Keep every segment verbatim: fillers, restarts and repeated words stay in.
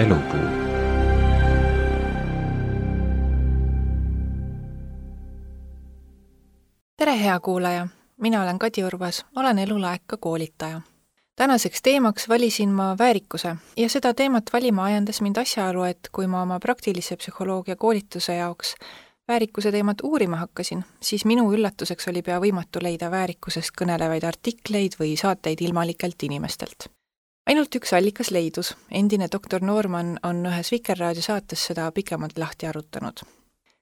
Elupuu. Tere hea kuulaja, mina olen Kadi Urvas, olen elulaeka koolitaja. Tänaseks teemaks valisin ma väärikuse ja seda teemat valima ajendas mind asjaolu, et kui ma oma praktilise psühholoogia koolituse jaoks väärikuse teemat uurima hakkasin, siis minu üllatuseks oli pea võimatu leida väärikusest kõnelevaid artikleid või saateid ilmalikelt inimestelt. Ainult üks allikas leidus, endine doktor Noorman on ühes Vikerraadio saates seda pikemalt lahti arutanud.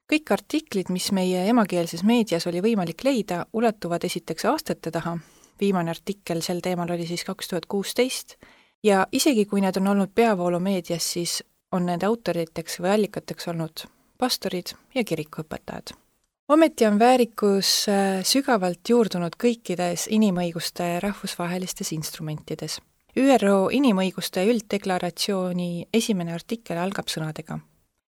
Kõik artiklid, mis meie emakeelses meedias oli võimalik leida, ulatuvad esiteks aastate taha. Viimane artikkel sel teemal oli siis kaks tuhat kuusteist ja isegi kui need on olnud peavoolu meedias, siis on nende autoriteks või allikateks olnud pastorid ja kirikuõpetajad. Ometi on väärikus sügavalt juurdunud kõikides inimõiguste rahvusvahelistes instrumentides. Ü R O inimõiguste ülddeklaratsiooni esimene artikkel algab sõnadega.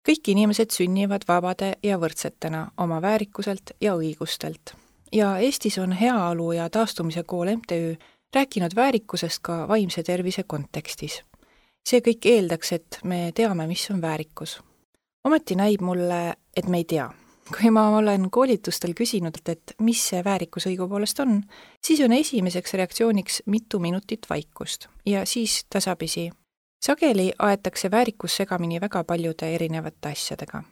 Kõik inimesed sünnivad vabade ja võrdsetena oma väärikuselt ja õigustelt. Ja Eestis on Heaolu ja taastumise kool M T Ü rääkinud väärikusest ka vaimse tervise kontekstis. See kõik eeldaks, et me teame, mis on väärikus. Ometi näib mulle, et me ei tea. Kui ma olen koolitustel küsinud, et mis see väärikus õigupoolest on, siis on esimeseks reaktsiooniks mitu minutit vaikust ja siis tasapisi. Sageli aetakse väärikus segamini väga paljude erinevate asjadega.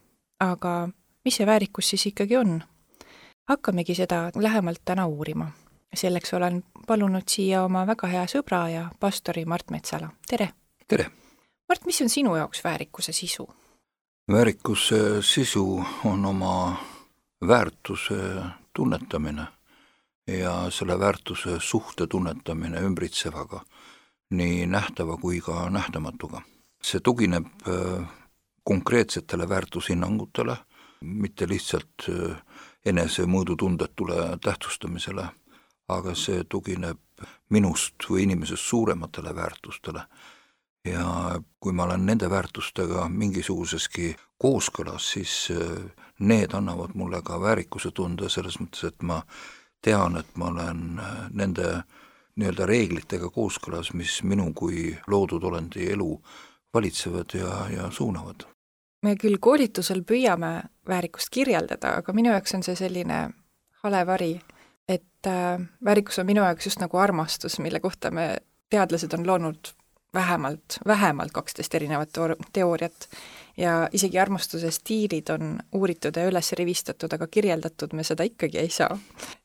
Aga mis see väärikus siis ikkagi on? Hakkamegi seda lähemalt täna uurima. Selleks olen palunud siia oma väga hea sõbra ja pastori Mart Metsala. Tere! Tere! Mart, mis on sinu jaoks väärikuse sisu? Väärikuse sisu on oma väärtuse tunnetamine ja selle väärtuse suhte tunnetamine ümbritsevaga, nii nähtava kui ka nähtamatuga. See tugineb konkreetsetele väärtushinnangutele, mitte lihtsalt enese mõõdutundetule tähtsustamisele, aga see tugineb minust või inimesest suurematele väärtustele. Ja kui ma olen nende väärtustega mingisuguseski kooskõlas, siis need annavad mulle ka väärikuse tunde selles mõttes, et ma tean, et ma olen nende nii-öelda reeglitega kooskõlas, mis minu kui loodud olendi elu valitsevad ja, ja suunavad. Me küll koolitusel püüame väärikust kirjeldada, aga minu jaoks on see selline halevari, et väärikus on minu jaoks just nagu armastus, mille kohta me teadlased on loonud vähemalt, vähemalt kaksteist erinevat teooriat ja isegi armastuse stiilid on uuritud ja üles rivistatud, aga kirjeldatud me seda ikkagi ei saa.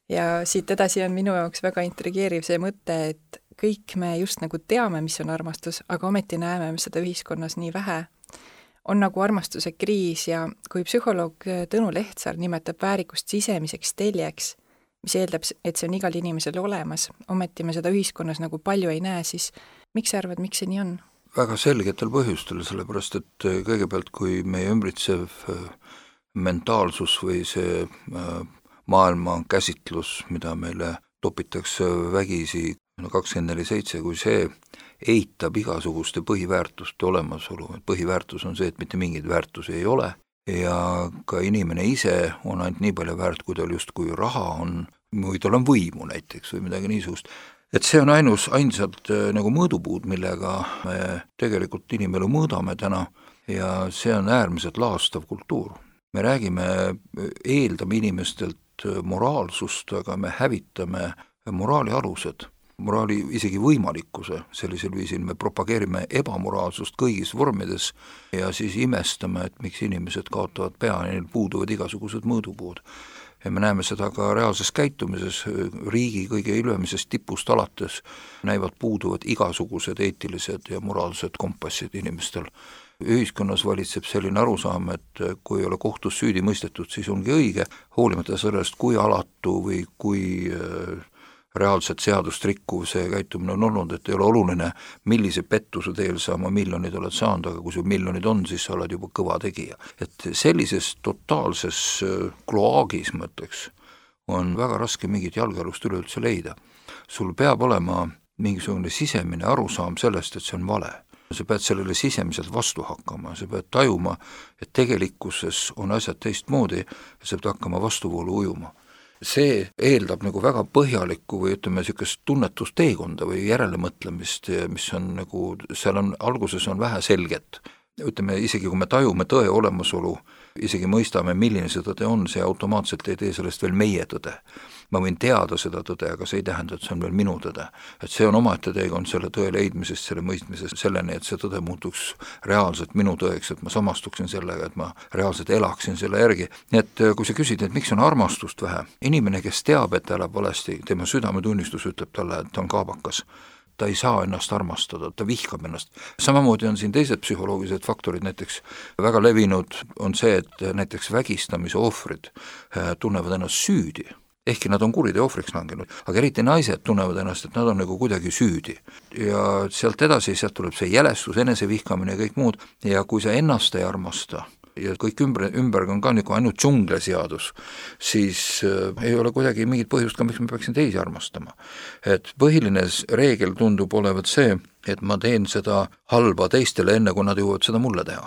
Ja siit edasi on minu jaoks väga intrigeeriv see mõte, et kõik me just nagu teame, mis on armastus, aga ometi näeme seda ühiskonnas nii vähe. On nagu armastuse kriis ja kui psühholoog Tõnu Lehtsaar nimetab väärikust sisemiseks teljeks, mis eeldab, et see on igal inimesel olemas, ometi me seda ühiskonnas nagu palju ei näe, siis miks sa arvad, miks see nii on? Väga selgetel põhjustel, sellepärast et kõigepealt, kui meie ümbritsev mentaalsus või see maailma käsitlus, mida meile topitakse vägisi kakskümmend neli seitse, kui see eitab igasuguste põhiväärtuste olemasolu. Põhiväärtus on see, et mitte mingeid väärtusi ei ole ja ka inimene ise on ainult nii palju väärt, kui tal just kui raha on, või tal on võimu näiteks või midagi niisugust. Et see on ainus, ainsad nagu mõõdupuud, millega me tegelikult inimelu mõõdame täna ja see on äärmiselt laastav kultuur. Me räägime, eeldame inimestelt moraalsust, aga me hävitame moraali alused, moraali isegi võimalikkuse, sellisel viisil me propageerime ebamoraalsust kõigis vormides ja siis imestame, et miks inimesed kaotavad pea, neil puuduvad igasugused mõõdupuud. Ja me näeme seda ka reaalses käitumises, riigi kõige ülemisest tipust alates näivad puuduvad igasugused eetilised ja moraalsed kompassid inimestel. Ühiskonnas valitseb selline arusaam, et kui ei ole kohtus süüdi mõistetud, siis ongi õige, hoolimata sellest, kui alatu või kui reaalselt seadust rikkuv see käitumine on olnud, et ei ole oluline, millise pettuse teel sa oma miljonid oled saanud, aga kui sul miljonid on, siis sa oled juba kõva tegija. Et sellises totaalses kloaagis, mõtleks, on väga raske mingit jalgealust üleüldse leida. Sul peab olema mingisugune sisemine arusaam sellest, et see on vale. Sa pead sellele sisemiselt vastu hakkama, sa pead tajuma, et tegelikkuses on asjad teistmoodi ja sa pead hakkama vastuvoolu ujuma. see eeldab nagu väga põhjalikku või ütleme niisugust tunnetusteekonda või järelemõtlemist, mis on nagu, seal on, alguses on vähe selget. ütleme, isegi kui me tajume tõe olemasolu, isegi mõistame, milline see tõde on, see automaatselt ei tee sellest veel meie tõde. Ma võin teada seda tõde, aga see ei tähenda, et see on veel minu tõde. Et see on omaette teekond selle tõe leidmisest, selle mõistmisest selleni, et see tõde muutuks reaalselt minu tõeks, et ma samastuksin sellega, et ma reaalselt elaksin selle järgi. Nii et kui sa küsid, et miks on armastust vähe, inimene, kes teab, et ta elab valesti, tema südametunnistus ütleb talle, et ta on kaabakas. Ta ei saa ennast armastada, ta vihkab ennast. Samamoodi on siin teised psühholoogilised faktorid, näiteks väga levinud on see, et näiteks vägistamise ohvrid tunnevad ennast süüdi, ehkki nad on kuriteo ohvriks langenud, aga eriti naised tunnevad ennast, et nad on nagu kuidagi süüdi. Ja sealt edasi, sealt tuleb see jälestus, enesevihkamine ja kõik muud, ja kui sa ennast ei armasta, ja kõik ümber, ümber on ka nagu ainult džungleseadus, siis äh, ei ole kuidagi mingit põhjust ka, miks ma peaksin teisi armastama. Et põhiline reegel tundub olevat see, et ma teen seda halba teistele enne, kui nad jõuavad seda mulle teha.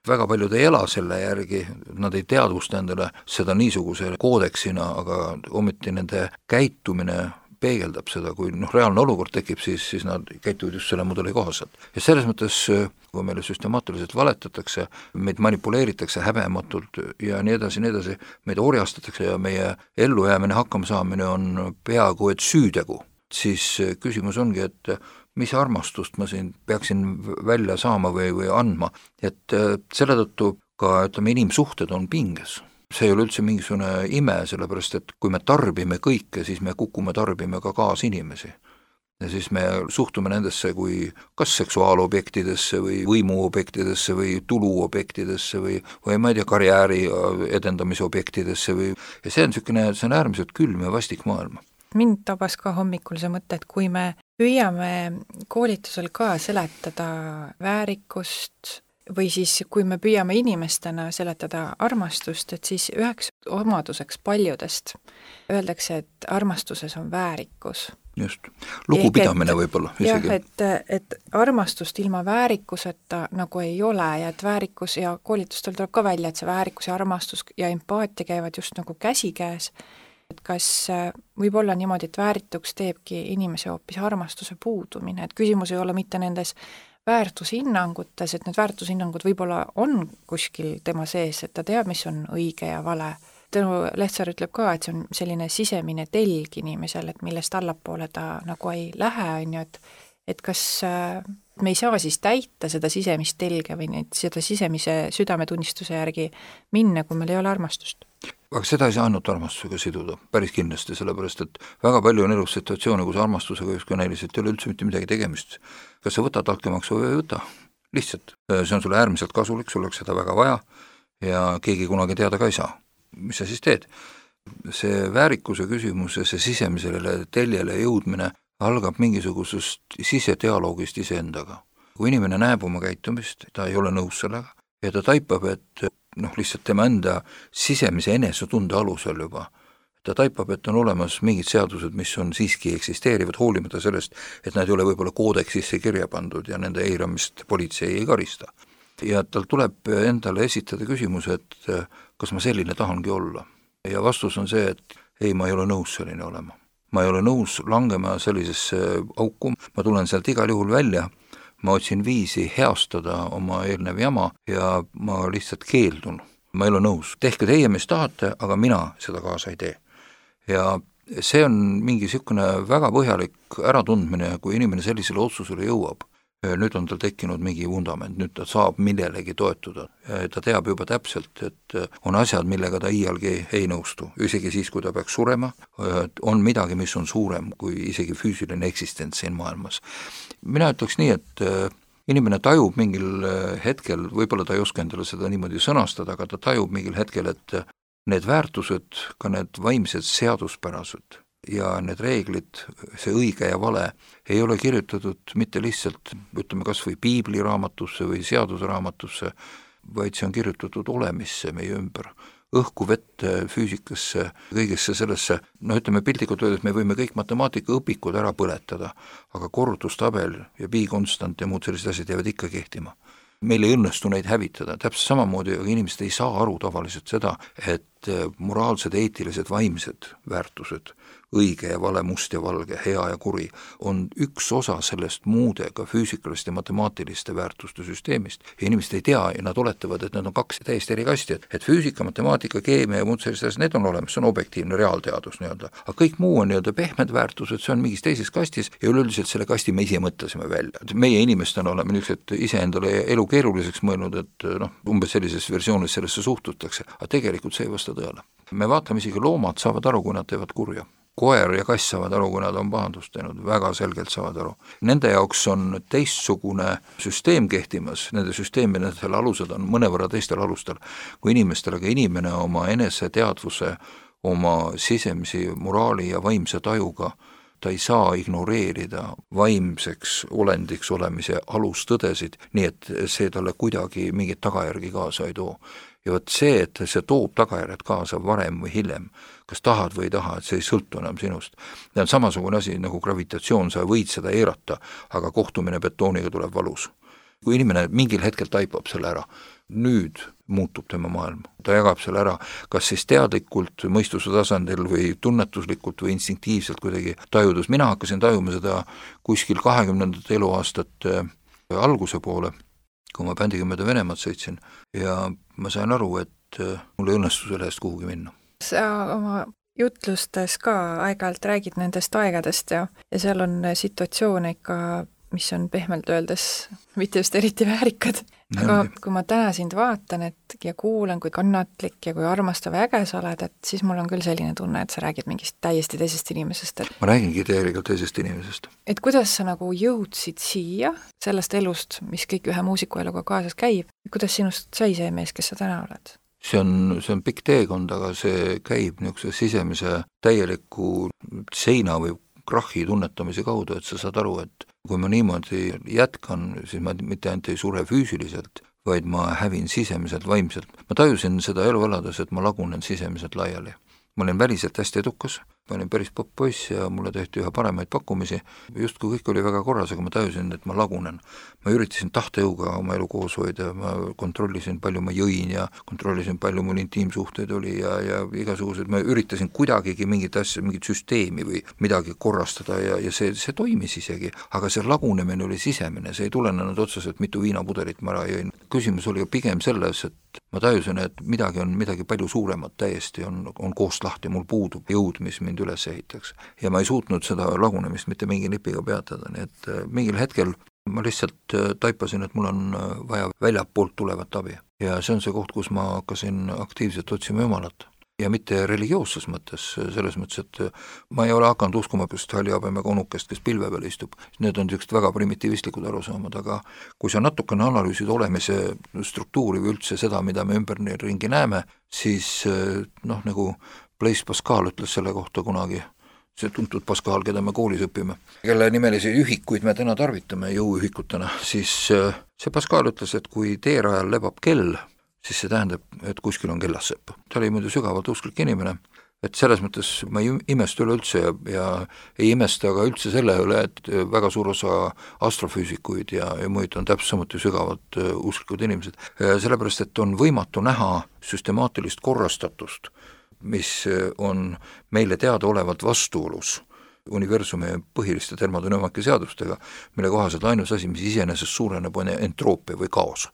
Väga paljud ei ela selle järgi, nad ei teadvusta endale seda niisuguse koodeksina, aga ometi nende käitumine peegeldab seda, kui noh, reaalne olukord tekib, siis, siis nad käituvad just selle mudeli kohaselt. Ja selles mõttes, kui meile süstemaatiliselt valetatakse, meid manipuleeritakse häbematult ja nii edasi, nii edasi, meid orjastatakse ja meie ellujäämine, hakkama saamine on peaaegu et süütegu, siis küsimus ongi, et mis armastust ma siin peaksin välja saama või, või andma, et selle tõttu ka, ütleme, inimsuhted on pinges. See ei ole üldse mingisugune ime, sellepärast et kui me tarbime kõike, siis me kukume tarbime ka kaasinimesi. Ja siis me suhtume nendesse kui kas seksuaalobjektidesse või võimuobjektidesse või tuluobjektidesse või, või ma ei tea, karjääri edendamise objektidesse või, ja see on niisugune, see on äärmiselt külm ja vastik maailm. Mind tabas ka hommikul see mõte, et kui me püüame koolitusel ka seletada väärikust või siis kui me püüame inimestena seletada armastust, et siis üheks omaduseks paljudest öeldakse, et armastuses on väärikus. Just, lugupidamine võib-olla isegi. Jah, et, et armastust ilma väärikuseta nagu ei ole ja et väärikus ja koolitustel tuleb ka välja, et see väärikus ja armastus ja empaatia käivad just nagu käsikäes. Et kas võib olla niimoodi, et väärituks teebki inimese hoopis armastuse puudumine, et küsimus ei ole mitte nendes väärtushinnangutes, et need väärtushinnangud võib-olla on kuskil tema sees, et ta teab, mis on õige ja vale. Tõnu Lehtsaar ütleb ka, et see on selline sisemine telg inimesel, et millest allapoole ta nagu ei lähe, on ju, et, et kas me ei saa siis täita seda sisemist telge või neid, seda sisemise südametunnistuse järgi minna, kui meil ei ole armastust. Aga seda ei saa ainult armastusega siduda, päris kindlasti, sellepärast et väga palju on elus situatsioone, kus armastusega just ka näiliselt ei ole üldse mitte midagi tegemist. Kas sa võtad altkäemaksu või ei võta? Lihtsalt. See on sulle äärmiselt kasulik, sul oleks seda väga vaja ja keegi kunagi teada ka ei saa. Mis sa siis teed? See väärikuse küsimus ja see sisemisele teljele jõudmine algab mingisugusest sisedialoogist iseendaga. Kui inimene näeb oma käitumist, ta ei ole nõus sellega ja ta taipab, et noh, lihtsalt tema enda sisemise enesetunde alusel juba. Ta taipab, et on olemas mingid seadused, mis on siiski eksisteerivad, hoolimata sellest, et nad ei ole võib-olla koodeksisse kirja pandud ja nende eiramist politsei ei karista. Ja tal tuleb endale esitada küsimus, et kas ma selline tahangi olla. Ja vastus on see, et ei, ma ei ole nõus selline olema. Ma ei ole nõus langema sellisesse auku, ma tulen sealt igal juhul välja, ma otsin viisi heastada oma eelnev jama ja ma lihtsalt keeldun. Ma ei ole nõus. Tehke teie, mis tahate, aga mina seda kaasa ei tee. Ja see on mingi niisugune väga põhjalik äratundmine, kui inimene sellisele otsusele jõuab. Nüüd on tal tekkinud mingi vundament, nüüd ta saab millelegi toetuda. Ta teab juba täpselt, et on asjad, millega ta iialgi ei nõustu. Isegi siis, kui ta peaks surema, on midagi, mis on suurem kui isegi füüsiline eksistents siin maailmas. Mina ütleks nii, et inimene tajub mingil hetkel, võib-olla ta ei oska endale seda niimoodi sõnastada, aga ta tajub mingil hetkel, et need väärtused, ka need vaimsed seaduspärased ja need reeglid, see õige ja vale, ei ole kirjutatud mitte lihtsalt, ütleme kas või piibliraamatusse või seadusraamatusse, vaid see on kirjutatud olemisse meie ümber. Õhku, vette, füüsikasse, kõigesse sellesse, no ütleme piltlikult öeldes, me võime kõik matemaatikaõpikud ära põletada, aga korrutustabel ja pi-konstant ja muud sellised asjad jäävad ikka kehtima. Meil ei õnnestu neid hävitada, täpselt samamoodi, aga inimesed ei saa aru tavaliselt seda, et et moraalsed, eetilised, vaimsed väärtused, õige ja vale, must ja valge, hea ja kuri, on üks osa sellest muude ka füüsikaliste ja matemaatiliste väärtuste süsteemist. Ja inimesed ei tea ja nad oletavad, et need on kaks täiesti eri kasti, et, et füüsika, matemaatika, keemia ja muud sellised, need on olemas, see on objektiivne reaalteadus nii-öelda. Aga kõik muu on nii-öelda pehmed väärtused, see on mingis teises kastis ja üleüldiselt selle kasti me ise mõtlesime välja. Meie inimestena oleme niisugused iseendale elu keeruliseks mõelnud, et noh, umbes sellises versioonis sellesse suhtutakse, aga tegelikult see ei vasta tõele. Me vaatame isegi loomad saavad aru, kui nad teevad kurja. Koer ja kass saavad aru, kui nad on pahandust teinud, väga selgelt saavad aru. Nende jaoks on teistsugune süsteem kehtimas, nende süsteemide selle alused on mõnevõrra teistel alustel kui inimestel, aga inimene oma eneseteadvuse, oma sisemisi moraali ja vaimse tajuga, ta ei saa ignoreerida vaimseks olendiks olemise alustõdesid, nii et see talle kuidagi mingit tagajärgi kaasa ei too. Ja võt see, et see toob tagajärjed kaasa varem või hiljem, kas tahad või ei taha, et see ei sõltu enam sinust. See on samasugune asi nagu gravitatsioon, sa võid seda eirata, aga kohtumine betooniga tuleb valus. Kui inimene mingil hetkel taipab selle ära, nüüd muutub tema maailm. Ta jagab selle ära, kas siis teadlikult, mõistuse tasandil või tunnetuslikult või instinktiivselt kuidagi tajudus. Mina hakkasin tajuma seda kuskil kahekümnendat eluaastate alguse poole, kui ma bändiga mööda Venemaad sõitsin ja ma sain aru, et mul ei õnnestu selle eest kuhugi minna. Sa oma jutlustes ka aeg-ajalt räägid nendest aegadest ja, ja seal on situatsioone ikka, mis on pehmelt öeldes mitte just eriti väärikad. Aga kui ma täna sind vaatan et, ja kuulan, kui kannatlik ja kui armastav ja äge sa oled, et siis mul on küll selline tunne, et sa räägid mingist täiesti teisest inimesest. Et, ma räägingi täielikult teisest inimesest. Et kuidas sa nagu jõudsid siia sellest elust, mis kõik ühe muusiku eluga kaasas käib, kuidas sinust sai see mees, kes sa täna oled? See on, see on pikk teekond, aga see käib niisuguse sisemise täieliku seina või krahhi tunnetamise kaudu, et sa saad aru, et kui ma niimoodi jätkan, siis ma mitte ainult ei sure füüsiliselt, vaid ma hävin sisemiselt, vaimselt. Ma tajusin seda elu elades, et ma lagunen sisemiselt laiali. Ma olin väliselt hästi edukas, ma olin päris popp-poiss ja mulle tehti ühe paremaid pakkumisi. Just kui kõik oli väga korras, aga ma tajusin, et ma lagunen. Ma üritasin tahtejõuga oma elu koos hoida, ma kontrollisin, palju ma jõin ja kontrollisin, palju mul intiimsuhteid oli ja, ja igasugused, ma üritasin kuidagigi mingit asja, mingit süsteemi või midagi korrastada ja, ja see, see toimis isegi, aga see lagunemine oli sisemine, see ei tulenenud otseselt mitu viinapudelit ma ära jõin. Küsimus oli pigem selles, et ma tajusin, et midagi on midagi palju suuremat täiesti, on, on koost lahti, mul puudub jõud, mis mind üles ehitaks. Ja ma ei suutnud seda lagunemist mitte mingi nipiga peatada, nii et mingil hetkel ma lihtsalt taipasin, et mul on vaja väljapoolt tulevat abi. Ja see on see koht, kus ma hakkasin aktiivselt otsima Jumalat. Ja mitte religioosses mõttes, selles mõttes, et ma ei ole hakanud uskuma just hallihabemega onukest, kes pilve peal istub. Need on niisugused väga primitiivistlikud arusaamad, aga kui sa natukene analüüsid olemise struktuuri või üldse seda, mida me ümber ringi näeme, siis noh, nagu Blaise Pascal ütles selle kohta kunagi, see tuntud Pascal, keda me koolis õpime, kelle nimelisi ühikuid me täna tarvitame jõuühikutena, siis see Pascal ütles, et kui teerajal lebab kell, siis see tähendab, et kuskil on kellassepp. Ta oli muidu sügavalt usklik inimene, et selles mõttes ma ei imesta üle üldse ja, ja ei imesta aga üldse selle üle, et väga suur osa astrofüüsikuid ja, ja muid on täpselt samuti sügavalt usklikud inimesed. Sellepärast, et on võimatu näha süstemaatilist korrastatust, mis on meile teada olevalt vastuolus universumi põhiliste termodünaamika seadustega, mille kohaselt ainus asi, mis iseenesest suureneb, on entroopia või kaos.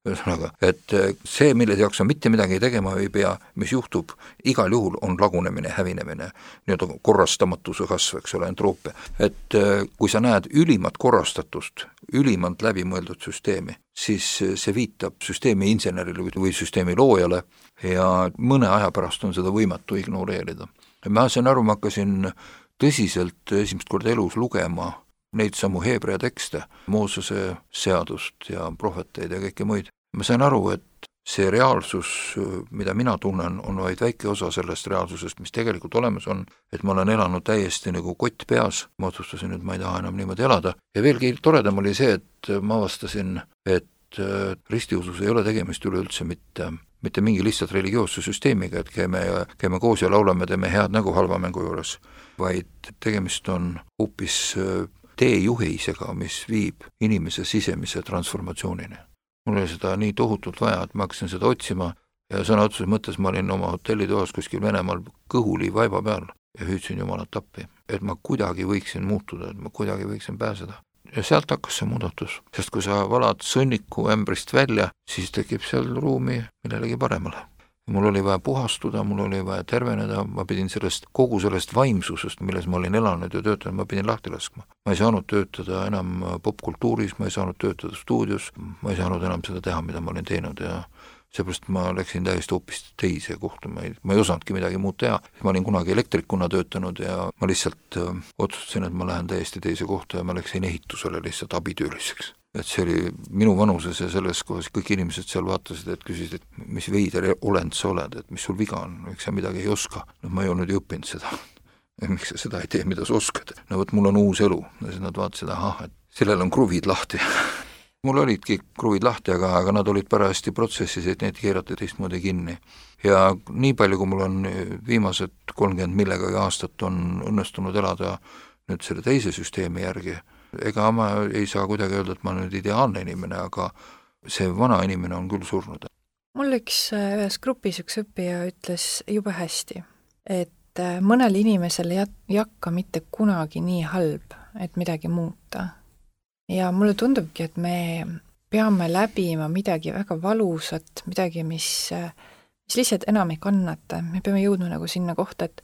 Ühesõnaga, et see, mille jaoks on mitte midagi tegema ei pea, mis juhtub, igal juhul on lagunemine, hävinemine, nii-öelda korrastamatuse kasv, eks ole, entroopia. Et kui sa näed ülimat korrastatust, ülimalt läbimõeldud süsteemi, siis see viitab süsteemi insenerile või süsteemi loojale ja mõne aja pärast on seda võimatu ignoreerida. Ma sain aru, ma hakkasin tõsiselt esimest korda elus lugema neid samu heebrea tekste, Moosese seadust ja prohveteid ja kõike muid. Ma sain aru, et see reaalsus, mida mina tunnen, on vaid väike osa sellest reaalsusest, mis tegelikult olemas on, et ma olen elanud täiesti nagu kott peas, ma otsustasin, et ma ei taha enam niimoodi elada. Ja veelgi toredam oli see, et ma avastasin, et ristiusus ei ole tegemist üleüldse mitte, mitte mingi lihtsalt religioosse süsteemiga, et käime, käime koos ja laulame, teeme head nägu halva mängu juures, vaid tegemist on hoopis teejuhisega, mis viib inimese sisemise transformatsioonini. Mul oli seda nii tohutult vaja, et ma hakkasin seda otsima ja sõna otseses mõttes ma olin oma hotellitoas kuskil Venemaal kõhuli vaiba peal ja hüüdsin Jumalat appi, et ma kuidagi võiksin muutuda, et ma kuidagi võiksin pääseda. Ja sealt hakkas see muudatus, sest kui sa valad sõnniku ämbrist välja, siis tekib seal ruumi millelegi paremale. Mul oli vaja puhastuda, mul oli vaja terveneda, ma pidin sellest, kogu sellest vaimsusest, milles ma olin elanud ja töötanud, ma pidin lahti laskma. Ma ei saanud töötada enam popkultuuris, ma ei saanud töötada stuudios, ma ei saanud enam seda teha, mida ma olin teinud ja seepärast ma läksin täiesti hoopis teise kohta, ma ei, ma ei osanudki midagi muud teha. Ma olin kunagi elektrikuna töötanud ja ma lihtsalt öö, otsustasin, et ma lähen täiesti teise kohta ja ma läksin ehitusele lihtsalt abitööliseks. Et see oli minu vanuses ja selles kohas kõik inimesed seal vaatasid, et küsisid, et mis veider olend sa oled, et mis sul viga on, miks sa midagi ei oska. No ma ei olnud ju õppinud seda. Ja miks sa seda ei tee, mida sa oskad? No võt, mul on uus elu. Ja siis nad vaatasid, ahah, et sellel on kruvid lahti. Mul olidki kruvid lahti, aga, aga nad olid parajasti protsessis, et need keerati teistmoodi kinni. Ja nii palju, kui mul on viimased kolmkümmend millegagi aastat on õnnestunud elada nüüd selle teise süsteemi järgi, ega ma ei saa kuidagi öelda, et ma olen nüüd ideaalne inimene, aga see vana inimene on küll surnud. Mul üks ühes grupis üks õppija ütles jube hästi, et mõnel inimesel ei jakka mitte kunagi nii halb, et midagi muuta. Ja mulle tundubki, et me peame läbima midagi väga valusat, midagi, mis, mis lihtsalt enam ei kannata. Me peame jõudma nagu sinna kohta, et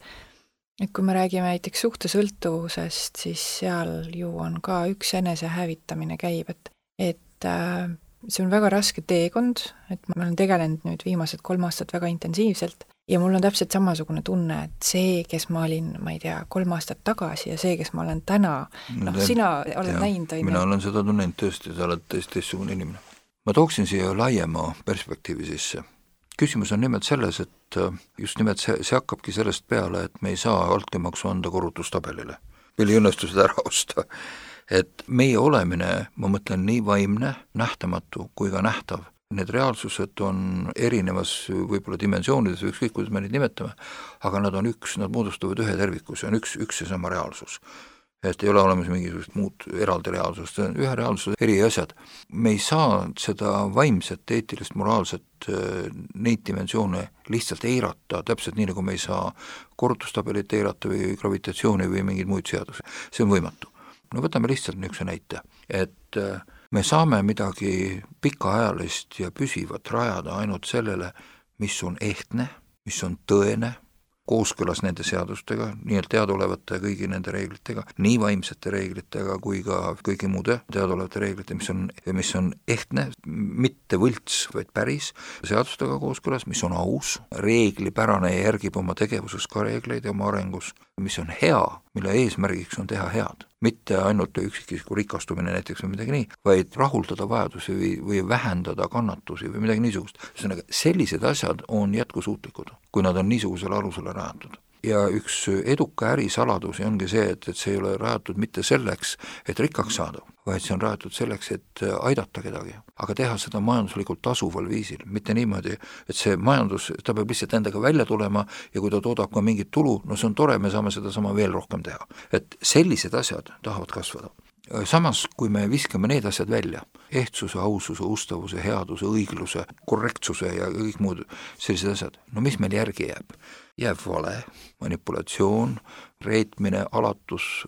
et kui me räägime näiteks suhtesõltuvusest, siis seal ju on ka üks enese hävitamine käib, et, et äh, see on väga raske teekond, et ma olen tegelenud nüüd viimased kolm aastat väga intensiivselt ja mul on täpselt samasugune tunne, et see, kes ma olin, ma ei tea, kolm aastat tagasi ja see, kes ma olen täna, noh, sina oled näinud. Mina olen seda tunnenud tõesti, sa oled tõesti teistsugune inimene. Ma tooksin siia laiema perspektiivi sisse. Küsimus on nimelt selles, et just nimelt see, see hakkabki sellest peale, et me ei saa altkäemaksu anda korrutustabelile. Meil ei õnnestu seda ära osta. Et meie olemine, ma mõtlen nii vaimne, nähtamatu kui ka nähtav. Need reaalsused on erinevas võib-olla dimensioonides, ükskõik kuidas me neid nimetame, aga nad on üks, nad moodustavad ühe terviku, see on üks, üks ja sama reaalsus. Et ei ole olemas mingisugust muud eraldi reaalsust, ühe reaalsuse eri asjad. Me ei saa seda vaimset, eetilist, moraalset, neid dimensioone lihtsalt eirata, täpselt nii, nagu me ei saa korrutustabelit eirata või gravitatsiooni või mingeid muid seadusi. See on võimatu. No võtame lihtsalt niisuguse näite, et me saame midagi pikaajalist ja püsivat rajada ainult sellele, mis on ehtne, mis on tõene, kooskõlas nende seadustega, nii et teadolevate kõigi nende reeglitega, nii vaimsete reeglitega kui ka kõigi muude teadolevate reeglite, mis on, mis on ehtne, mitte võlts, vaid päris, seadustega kooskõlas, mis on aus, reeglipärane ja järgib oma tegevuses ka reegleid ja oma arengus, mis on hea, mille eesmärgiks on teha head. Mitte ainult üksikisiku rikastumine näiteks või midagi nii, vaid rahuldada vajadusi või, või vähendada kannatusi või midagi niisugust. Sellised asjad on jätkusuutlikud, kui nad on niisugusele alusele rajatud. Ja üks eduka ärisaladusi ongi see, et, et see ei ole rajatud mitte selleks, et rikkaks saada, vaid see on rajatud selleks, et aidata kedagi, aga teha seda majanduslikult tasuval viisil, mitte niimoodi, et see majandus, ta peab lihtsalt endaga välja tulema ja kui ta toodab ka mingit tulu, no see on tore, me saame seda sama veel rohkem teha. Et sellised asjad tahavad kasvada. Samas, kui me viskame need asjad välja, ehtsuse, aususe, ustavuse, headuse, õigluse, korrektsuse ja kõik muud sellised asjad, no mis meil järgi jääb? Jääb vale, manipulatsioon, reetmine, alatus,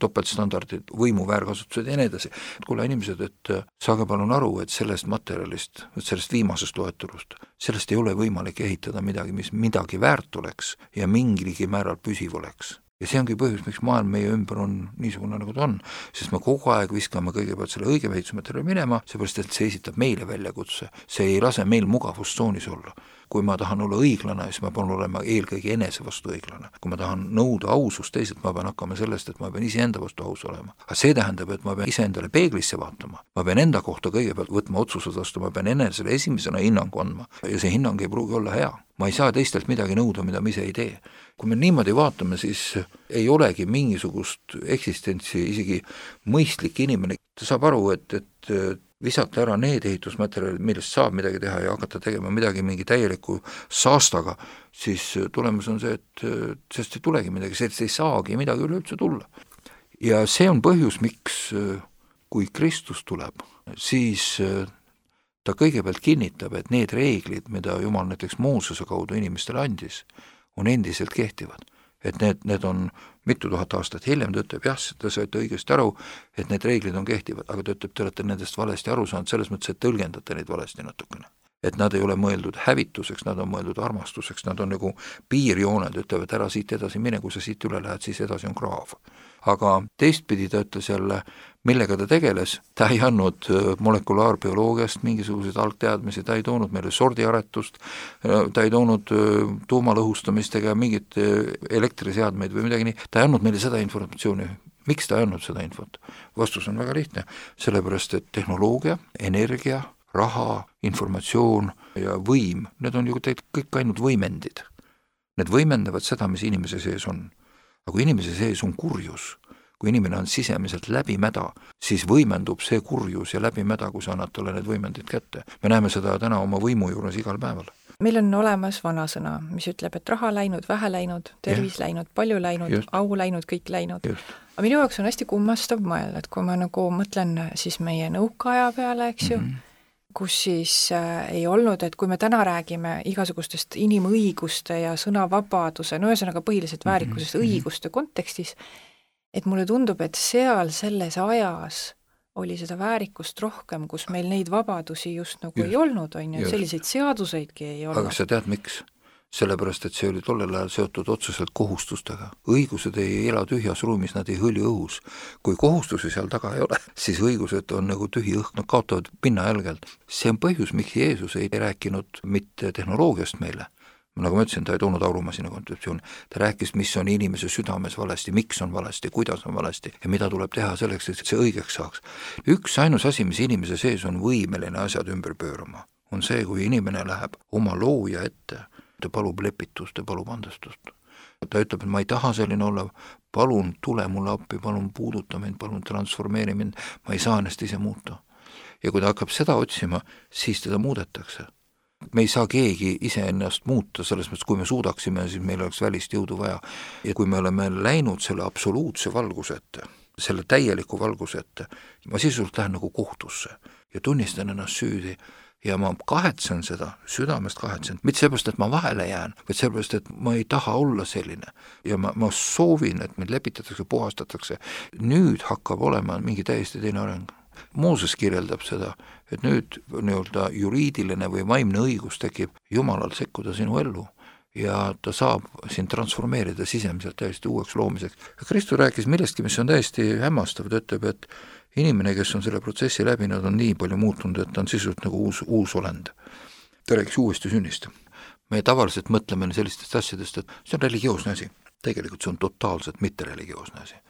topeltstandardid, võimu väärkasutused ja nii edasi. Kuule inimesed, et saage palun aru, et sellest materjalist, sellest viimasest loetulust, sellest ei ole võimalik ehitada midagi, mis midagi väärt oleks ja mingilgi määral püsiv oleks. Ja see ongi põhjus, miks maailm meie ümber on niisugune, nagu ta on, sest me kogu aeg viskame kõigepealt selle õige ehitusmaterjali minema, seepärast, et see esitab meile väljakutse. See ei lase meil mugavustsoonis olla. Kui ma tahan olla õiglane, siis ma pean olema eelkõige enese vastu õiglane. Kui ma tahan nõuda ausust teised, ma pean hakkama sellest, et ma pean iseenda vastu aus olema. Aga see tähendab, et ma pean iseendale peeglisse vaatama. Ma pean enda kohta kõigepealt võtma otsused vastu, ma pean enesele esimesena hinnangu andma. Ja see hinnang ei pruugi olla hea. Ma ei saa teistelt midagi nõuda, mida ma ise ei tee. Kui me niimoodi vaatame, siis ei olegi mingisugust eksistentsi, isegi mõistlik inimene. Ta saab aru, et, et visata ära need ehitusmaterjalid, millest saab midagi teha ja hakata tegema midagi mingi täieliku saastaga, siis tulemus on see, et sest ei tulegi midagi, sest ei saagi midagi üleüldse tulla. Ja see on põhjus, miks kui Kristus tuleb, siis ta kõigepealt kinnitab, et need reeglid, mida Jumal näiteks Moosese kaudu inimestele andis, on endiselt kehtivad. Et need, need on mitu tuhat aastat hiljem, ta ütleb, jah, te saite õigesti aru, et need reeglid on kehtivad, aga ta ütleb, te olete nendest valesti aru saanud, selles mõttes, et tõlgendate neid valesti natukene. Et nad ei ole mõeldud hävituseks, nad on mõeldud armastuseks, nad on nagu piirjooned, ütlevad, ära siit edasi mine, kui sa siit üle lähed, siis edasi on kraav. Aga teistpidi ta ütles jälle, millega ta tegeles, ta ei andnud molekulaarbioloogiast mingisuguseid algteadmisi, ta ei toonud meile sordiaretust, ta ei toonud tuumalõhustamist ega mingit elektriseadmeid või midagi nii, ta ei andnud meile seda informatsiooni. Miks ta ei andnud seda infot? Vastus on väga lihtne, sellepärast et tehnoloogia, energia, raha, informatsioon ja võim, need on ju kõik ainult võimendid. Need võimendavad seda, mis inimese sees on. Aga kui inimese sees on kurjus, kui inimene on sisemiselt läbimäda, siis võimendub see kurjus ja läbimäda, kui sa annad talle need võimendid kätte. Me näeme seda täna oma võimu juures igal päeval. Meil on olemas vanasõna, mis ütleb, et raha läinud, vähe läinud, tervis ja. läinud, palju läinud, Just. au läinud, kõik läinud. Just. Aga minu jaoks on hästi kummastav mõelda, et kui ma nagu mõtlen siis meie nõukaaja peale, eks ju, mm-hmm. kus siis äh, ei olnud, et kui me täna räägime igasugustest inimõiguste ja sõnavabaduse, no ühesõnaga põhiliselt väärikusest mm-hmm. õiguste kontekstis, et mulle tundub, et seal selles ajas oli seda väärikust rohkem, kus meil neid vabadusi just nagu just, ei olnud, on ju, selliseid seaduseidki ei olnud. Aga sa tead, miks? Sellepärast, et see oli tollel ajal seotud otseselt kohustustega. Õigused ei ela tühjas ruumis, nad ei hõlju õhus. Kui kohustusi seal taga ei ole, siis õigused on nagu tühi õhk, nad kaotavad pinna jälgelt. See on põhjus, miks Jeesus ei rääkinud mitte tehnoloogiast meile. Nagu ma ütlesin, ta ei toonud aurumasina kontseptsiooni. Ta rääkis, mis on inimese südames valesti, miks on valesti, kuidas on valesti ja mida tuleb teha selleks, et see õigeks saaks. Üks ainus asi, mis inimese sees on võimeline asjad ümber pöörama, on see, kui inimene läheb oma looja ette, ta palub lepitust, ta palub andestust. Ta ütleb, et ma ei taha selline olla, palun tule mulle appi, palun puuduta mind, palun transformeeri mind, ma ei saa ennast ise muuta. Ja kui ta hakkab seda otsima, siis teda muudetakse. Me ei saa keegi ise ennast muuta, selles mõttes, kui me suudaksime, siis meil oleks välist jõudu vaja. Ja kui me oleme läinud selle absoluutse valguse ette, selle täieliku valguse ette, ma sisult lähen nagu kohtusse ja tunnistan ennast süüdi ja ma kahetsen seda, südamest kahetsen, mitte sellepärast, et ma vahele jään, vaid sellepärast, et ma ei taha olla selline ja ma, ma soovin, et mind lepitatakse, puhastatakse. Nüüd hakkab olema mingi täiesti teine areng. Mooses kirjeldab seda, et nüüd nii-öelda juriidiline või vaimne õigus tekib Jumalal sekkuda sinu ellu ja ta saab sind transformeerida sisemiselt täiesti uueks loomiseks. Kristus rääkis millestki, mis on täiesti hämmastav, ta ütleb, et inimene, kes on selle protsessi läbinud, on nii palju muutunud, et ta on sisuliselt nagu uus, uus olend. Ta rääkis uuesti sünnist. Me tavaliselt mõtleme sellistest asjadest, et see on religioosne asi. Tegelikult see on totaalselt mitte religioosne asi.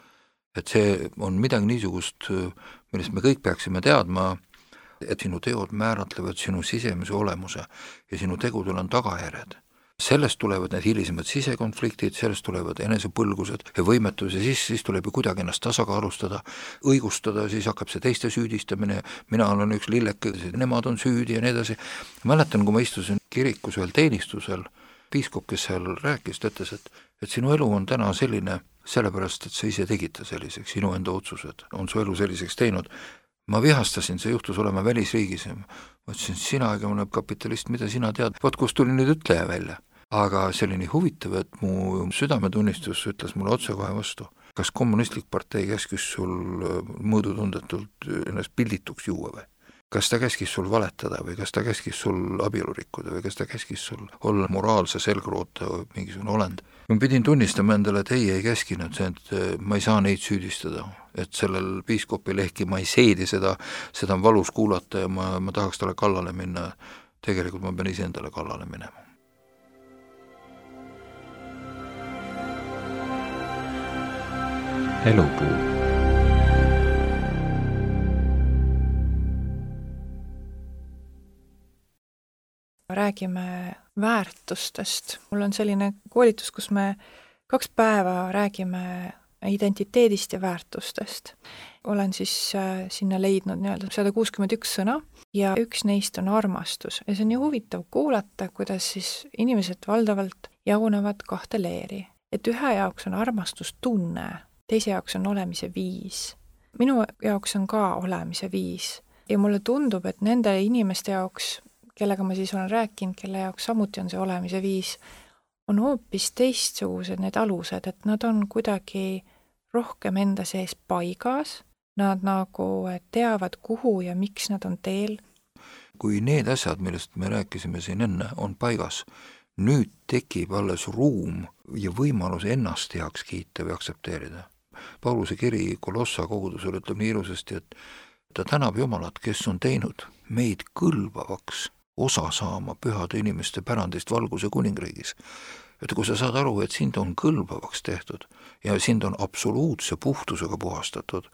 Et see on midagi niisugust, millest me kõik peaksime teadma, et sinu teod määratlevad sinu sisemise olemuse ja sinu tegudel on tagajärjed. Sellest tulevad need hilisemad sisekonfliktid, sellest tulevad enesepõlgused ja võimetus ja siis, siis tuleb ju kuidagi ennast tasakaalustada, õigustada, siis hakkab see teiste süüdistamine, mina olen üks lilleke, nemad on süüdi ja nii edasi. Mäletan, kui ma istusin kirikus ühel teenistusel, piiskop, kes seal rääkis, ütles, et, et sinu elu on täna selline, sellepärast, et sa ise tegid selliseks, sinu enda otsused on su elu selliseks teinud. Ma vihastasin, see juhtus olema välisriigis. Ma ütlesin, sina ega mõne kapitalist, mida sina tead, vaat kus tuli nüüd ütleja välja. Aga see oli nii huvitav, et mu südametunnistus ütles mulle otse kohe vastu. Kas kommunistlik partei käskis sul mõõdutundetult ennast pildituks juua või? Kas ta käskis sul valetada või kas ta käskis sul abielu rikkuda või kas ta käskis sul olla moraalse selgroota või mingisugune olend? Ma pidin tunnistama endale, et ei, ei käskinud see, et ma ei saa neid süüdistada, et sellel piiskopil ehkki ma ei seedi seda, seda on valus kuulata ja ma, ma tahaks talle kallale minna. Tegelikult ma pean ise endale kallale minema. Elupuu. Räägime väärtustest. Mul on selline koolitus, kus me kaks päeva räägime identiteedist ja väärtustest. Olen siis sinna leidnud nii-öelda sada kuuskümmend üks sõna ja üks neist on armastus. Ja see on nii huvitav kuulata, kuidas siis inimesed valdavalt jagunevad kahte leeri. Et ühe jaoks on armastus tunne, teise jaoks on olemise viis. Minu jaoks on ka olemise viis. ja mulle tundub, et nende inimeste jaoks, kellega ma siis olen rääkinud, kelle jaoks samuti on see olemise viis, on hoopis teistsugused need alused, et nad on kuidagi rohkem enda sees paigas, nad nagu teavad, kuhu ja miks nad on teel. Kui need asjad, millest me rääkisime siin enne, on paigas, nüüd tekib alles ruum ja võimalus ennast heaks kiita või aktsepteerida. Pauluse kiri Kolossa kogudusele ütleb nii ilusasti, et ta tänab Jumalat, kes on teinud meid kõlbavaks osa saama pühade inimeste pärandist valguse kuningriigis. Et kui sa saad aru, et sind on kõlbavaks tehtud ja sind on absoluutse puhtusega puhastatud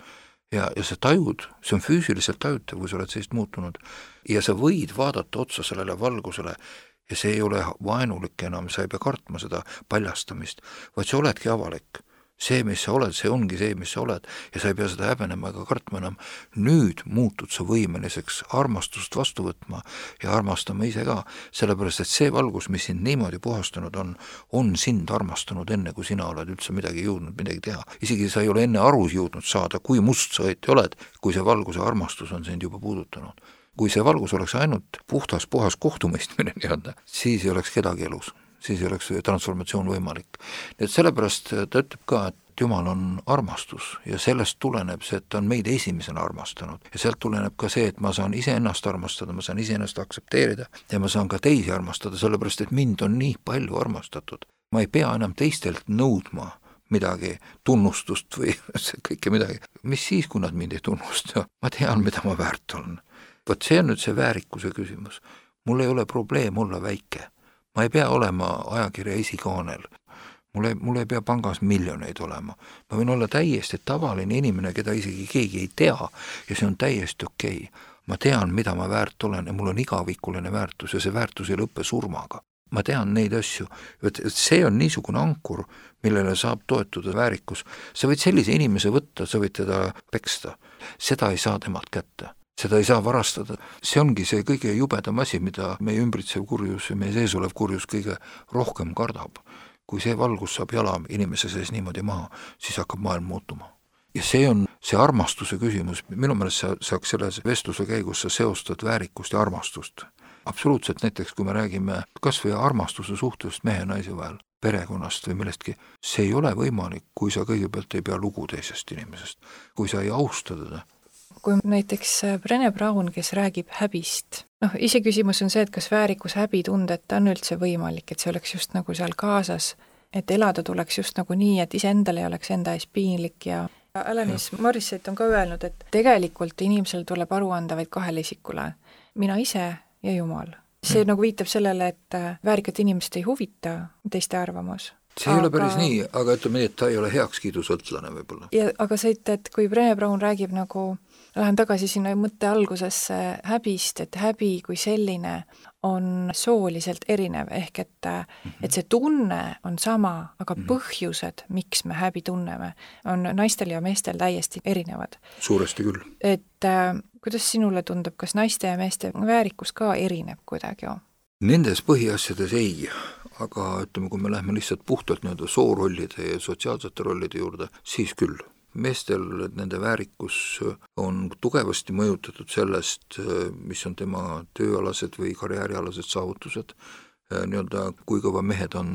ja, ja sa tajud, see on füüsiliselt tajutav, kui sa oled sellist muutunud ja sa võid vaadata otsa sellele valgusele ja see ei ole vaenulik enam, sa ei pea kartma seda paljastamist, vaid sa oledki avalik. See, mis sa oled, see ongi see, mis sa oled ja sa ei pea seda häbenema ega kartma enam. Nüüd muutud sa võimeliseks armastust vastu võtma ja armastama ise ka, sellepärast et see valgus, mis sind niimoodi puhastanud on, on sind armastanud enne, kui sina oled üldse midagi jõudnud midagi teha. Isegi sa ei ole enne aru jõudnud saada, kui must sa õieti oled, kui see valguse armastus on sind juba puudutanud. Kui see valgus oleks ainult puhtas, puhas kohtumõistmine nii-öelda, siis ei oleks kedagi elus. Siis ei oleks transformatsioon võimalik. Et sellepärast ta ütleb ka, et Jumal on armastus ja sellest tuleneb see, et ta on meid esimesena armastanud. Ja sealt tuleneb ka see, et ma saan ise ennast armastada, ma saan ise ennast aksepteerida ja ma saan ka teisi armastada, sellepärast et mind on nii palju armastatud. Ma ei pea enam teistelt nõudma midagi, tunnustust või kõike midagi. Mis siis, kui nad mind ei tunnusta? Ma tean, mida ma väärt olen. Võt see on nüüd see väärikuse küsimus. Mul ei ole probleem olla väike. Ma ei pea olema ajakirja esikaanel. Mul ei, mul ei pea pangas miljoneid olema. Ma võin olla täiesti tavaline inimene, keda isegi keegi ei tea ja see on täiesti okei. Ma tean, mida ma väärt olen ja mul on igavikuline väärtus ja see väärtus ei lõppe surmaga. Ma tean neid asju. See on niisugune ankur, millele saab toetuda väärikus. Sa võid sellise inimese võtta, sa võid teda peksta. Seda ei saa temalt kätte. Seda ei saa varastada. See ongi see kõige jubedam asi, mida meie ümbritsev kurjus ja meie sees olev kurjus kõige rohkem kardab. Kui see valgus saab jala inimese sees niimoodi maha, siis hakkab maailm muutuma. Ja see on see armastuse küsimus. Minu meelest sa saaks selles vestluse käigus sa seostad väärikust ja armastust. Absoluutselt näiteks, kui me räägime kas või armastuse suhtest mehe ja naise vahel, perekonnast või millestki, see ei ole võimalik, kui sa kõigepealt ei pea lugu teisest inimesest, kui sa ei austa teda. Kui näiteks Brené Brown, kes räägib häbist, noh, ise küsimus on see, et kas väärikus häbitundeta on üldse võimalik, et see oleks just nagu seal kaasas, et elada tuleks just nagu nii, et ise endale ei oleks enda ees piinlik ja Alanis Morissette on ka öelnud, et tegelikult inimesel tuleb aru anda vaid kahele isikule, mina ise ja Jumal. See nagu viitab sellele, et väärikat inimest ei huvita teiste arvamus. See ei aga... ole päris nii, aga ütleme nii, et ta ei ole heakskiidusõltlane võib-olla. Ja, aga see, et kui Brené Brown räägib nagu, lähen tagasi sinna mõtte algusesse häbist, et häbi kui selline on sooliselt erinev, ehk et, mm-hmm. et see tunne on sama, aga mm-hmm. põhjused, miks me häbi tunneme, on naistel ja meestel täiesti erinevad. Suuresti küll. Et äh, kuidas sinule tundub, kas naiste ja meeste väärikus ka erineb kuidagi? Nendes põhiasjades ei, aga ütleme, kui me lähme lihtsalt puhtalt nii-öelda soorollide ja sotsiaalsete rollide juurde, siis küll. Meestel nende väärikus on tugevasti mõjutatud sellest, mis on tema tööalased või karjäärialased saavutused, nii-öelda kui kõva mehed on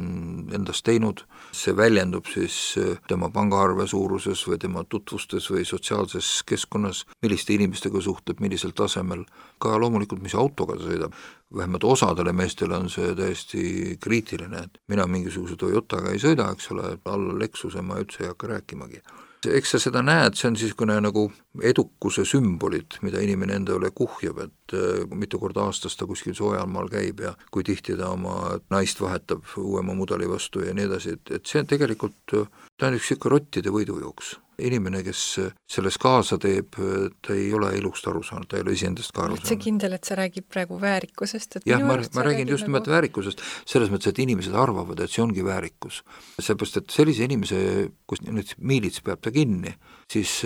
endast teinud, see väljendub siis tema pangaarve suuruses või tema tutvustes või sotsiaalses keskkonnas, milliste inimestega suhtleb, millisel tasemel, ka loomulikult, mis autoga ta sõidab. Vähemalt osadele meestele on see täiesti kriitiline, et mina mingisuguse Toyotaga ei sõida, eks ole, alla Lexuse ma üldse ei hakka rääkimagi. Eks sa seda näed, see on siis nagu edukuse sümbolid, mida inimene endale kuhjab, et mitu korda aastas ta kuskil soojalmaal käib ja kui tihti ta oma naist vahetab uuema mudeli vastu ja nii edasi, et, et see on tegelikult, ta on üks ikka rottide võidujooks. Inimene, kes selles kaasa teeb, ta ei ole elust aru saanud, ta ei ole iseendast ka aru saanud. See kindel, et sa räägib praegu väärikusest? Et jah, ma, ma räägin just nimelt nagu... väärikusest, selles mõttes, et inimesed arvavad, et see ongi väärikus. Seepärast, et sellise inimese, kus nüüd miilits peab ta kinni, siis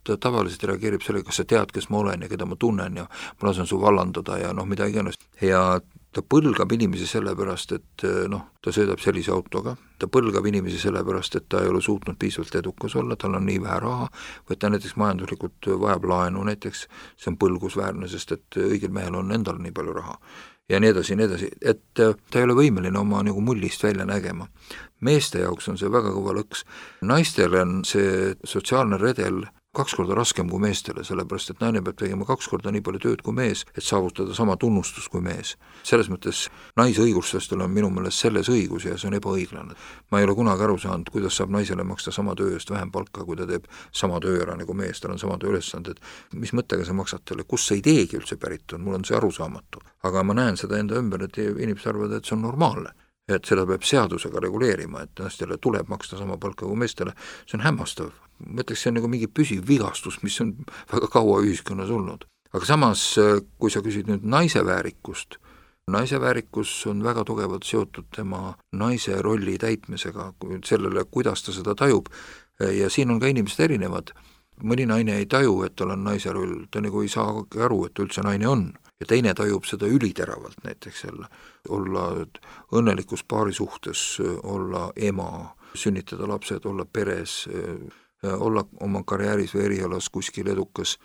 ta tavaliselt reageerib selle, kas sa tead, kes ma olen ja keda ma tunnen ja ma lasen su vallandada ja noh, mida iganes. Ja ta põlgab inimesi sellepärast, et noh, ta sõidab sellise autoga, ta põlgab inimesi sellepärast, et ta ei ole suutnud piisavalt edukas olla, tal on nii vähe raha, või ta näiteks majanduslikult vajab laenu näiteks, see on põlgusväärne, sest et õigel mehel on endal nii palju raha. Ja nii edasi, nii edasi, et ta ei ole võimeline oma nagu mullist välja nägema. Meeste jaoks on see väga kõva lõks. Naistele on see sotsiaalne redel kaks korda raskem kui meestele, sellepärast et naine peab tegema kaks korda nii palju tööd kui mees, et saavutada sama tunnustus kui mees. Selles mõttes naisõiguslastel on minu meelest selles õigus ja see on ebaõiglane. Ma ei ole kunagi aru saanud, kuidas saab naisele maksta sama töö eest vähem palka, kui ta teeb sama töö ära nagu mees, tal on sama töö ülesanded. Mis mõttega sa maksad talle, kus see ideegi üldse pärit on, mul on see arusaamatu. Aga ma näen seda enda ümber, et inimesed arvavad, et see on normaalne. Et seda peab seadusega reguleerima, et naistele tuleb maksta sama palka kui meestele, see on hämmastav. Mõtleks, see on nagu mingi püsiv vigastus, mis on väga kaua ühiskonnas olnud. Aga samas, kui sa küsid nüüd naise väärikust, naise väärikus on väga tugevalt seotud tema naise rolli täitmisega, sellele, kuidas ta seda tajub, ja siin on ka inimesed erinevad. Mõni naine ei taju, et tal on naise roll, ta nagu ei saa aru, et üldse naine on. Ja teine tajub seda üliteravalt näiteks jälle, olla õnnelikus paari suhtes, olla ema, sünnitada lapsed, olla peres, olla oma karjääris või erialas kuskil edukas.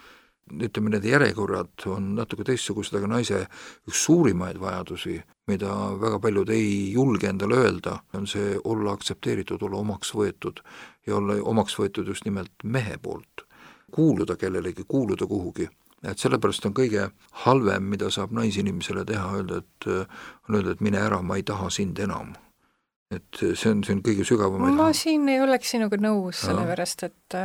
Ütleme, need järjekorrad on natuke teistsugused, aga naise üks suurimaid vajadusi, mida väga paljud ei julge endale öelda, on see olla aktsepteeritud, olla omaks võetud ja olla omaks võetud just nimelt mehe poolt. Kuuluda kellelegi, kuuluda kuhugi. Et sellepärast on kõige halvem, mida saab naisinimesele teha, öelda, et on öelda, et mine ära, ma ei taha sind enam. Et see on, see on kõige sügavam. Ma siin ei oleks sinuga nõus, sellepärast, et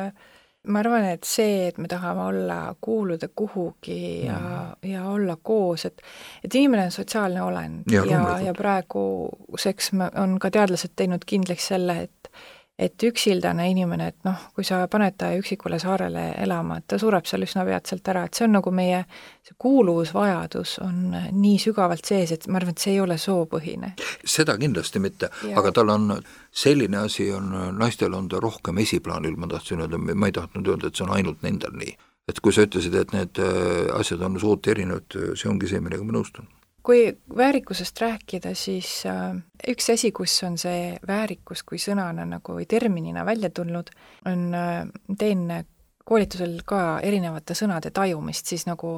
ma arvan, et see, et me tahame olla, kuuluda kuhugi ja, mm. ja olla koos, et, et inimene on sotsiaalne olend ja, ja, ja praeguseks on ka teadlased teinud kindlaks selle, et et üksildane inimene, et noh, kui sa paned ta üksikule saarele elama, et ta sureb seal üsna peatselt ära, et see on nagu meie see kuuluvusvajadus on nii sügavalt sees, et ma arvan, et see ei ole soopõhine. Seda kindlasti mitte, ja. Aga tal on selline asi, on, naistel on ta rohkem esiplaanil, ma tahtsin öelda, ma ei tahtnud öelda, et see on ainult nendel nii. Et kui sa ütlesid, et need asjad on soot erinevad, see ongi see, millega ma nõustun. Kui väärikusest rääkida, siis äh, üks asi, kus on see väärikus kui sõnana nagu või terminina välja tulnud, on, äh, teen koolitusel ka erinevate sõnade tajumist, siis nagu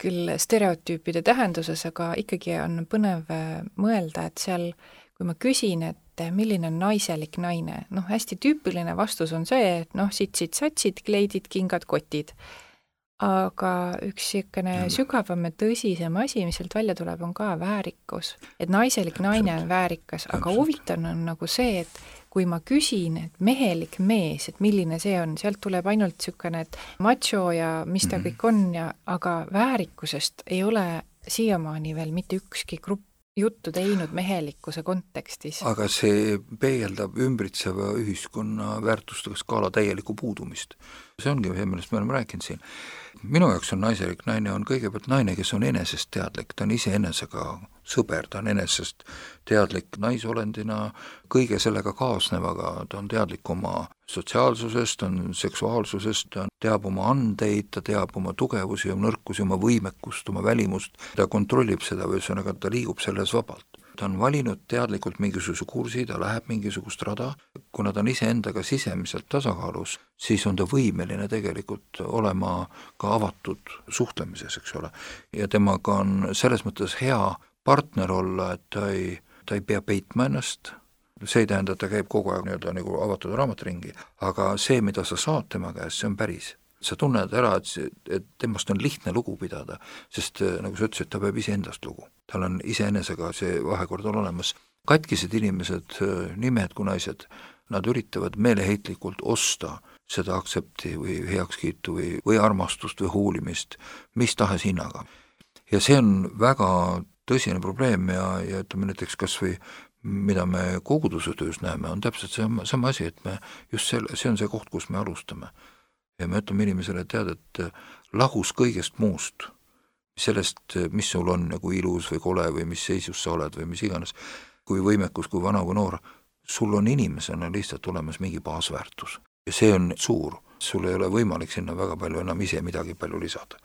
küll stereotüüpide tähenduses, aga ikkagi on põnev mõelda, et seal, kui ma küsin, et milline on naiselik naine, noh, hästi tüüpiline vastus on see, et noh, sitsid, satsid, kleidid, kingad, kotid. Aga üks siukene sügavam ja tõsisem asi, mis sealt välja tuleb, on ka väärikus. Et naiselik naine on väärikas, aga huvitav on nagu see, et kui ma küsin, et mehelik mees, et milline see on, sealt tuleb ainult siukene, et macho ja mis ta kõik on, ja, aga väärikusest ei ole siiamaani veel mitte ükski grupp juttu teinud mehelikkuse kontekstis. Aga see peegeldab ümbritseva ühiskonna väärtustega skaala täielikku puudumist. See ongi see, millest me oleme rääkinud siin. Minu jaoks on naiselik naine on kõigepealt naine, kes on enesest teadlik, ta on ise enesega sõber, ta on enesest teadlik naisolendina, kõige sellega kaasnevaga, ta on teadlik oma sotsiaalsusest, ta on seksuaalsusest, ta teab oma andeid, ta teab oma tugevusi, oma nõrkusi, oma võimekust, oma välimust, ta kontrollib seda või ühesõnaga ta liigub selles vabalt. Ta on valinud teadlikult mingisuguse kursi, ta läheb mingisugust rada, kuna ta on iseendaga sisemiselt tasakaalus, siis on ta võimeline tegelikult olema ka avatud suhtlemises, eks ole. Ja temaga on selles mõttes hea partner olla, et ta ei, ta ei pea peitma ennast, see ei tähenda, et ta käib kogu aeg nii-öelda nagu avatud raamatringi, aga see, mida sa saad tema käest, see on päris. Sa tunned ära, et, et temast on lihtne lugu pidada, sest nagu sa ütlesid, ta peab ise endast lugu. Tal on iseenesega see vahekord on olemas. Katkised inimesed, nii mehed kui naised, nad üritavad meeleheitlikult osta seda aktsepti või heakskiitu või, või armastust või huulimist, mis tahes hinnaga. Ja see on väga tõsine probleem ja, ja ütleme näiteks kas või mida me koguduse töös näeme, on täpselt sama, sama asi, et me just selle, see on see koht, kus me alustame. Ja me ütleme inimesele, tead, et lahus kõigest muust, sellest, mis sul on nagu ilus või kole või mis seisus sa oled või mis iganes, kui võimekus, kui vana või noor, sul on inimesena lihtsalt olemas mingi baasväärtus. Ja see on suur, sul ei ole võimalik sinna väga palju enam ise midagi palju lisada.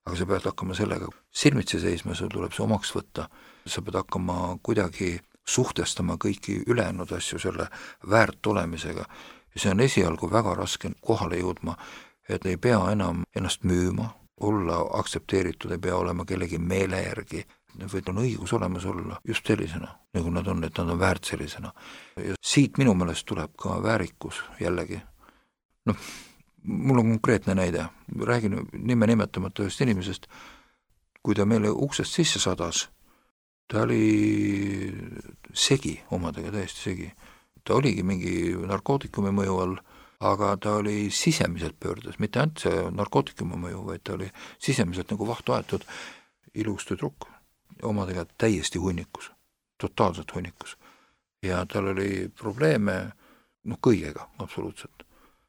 aga sa pead hakkama sellega silmitsi seisma, sul tuleb see omaks võtta, sa pead hakkama kuidagi suhtestama kõiki ülejäänud asju selle väärt olemisega ja see on esialgu väga raske kohale jõudma, et ei pea enam ennast müüma, olla aktsepteeritud, ei pea olema kellegi meele järgi, vaid on õigus olemas olla just sellisena, nagu nad on, et nad on väärt sellisena. Ja siit minu meelest tuleb ka väärikus jällegi. Noh, mul on konkreetne näide, räägin nime nimetamata ühest inimesest, kui ta meile uksest sisse sadas, ta oli segi, omadega täiesti segi. Ta oligi mingi narkootikumi mõju all, aga ta oli sisemiselt pöördes, mitte ainult see narkootikumi mõju, vaid ta oli sisemiselt nagu vahtu aetud ilus tüdruk, omadega täiesti hunnikus, totaalselt hunnikus. Ja tal oli probleeme noh, kõigega absoluutselt.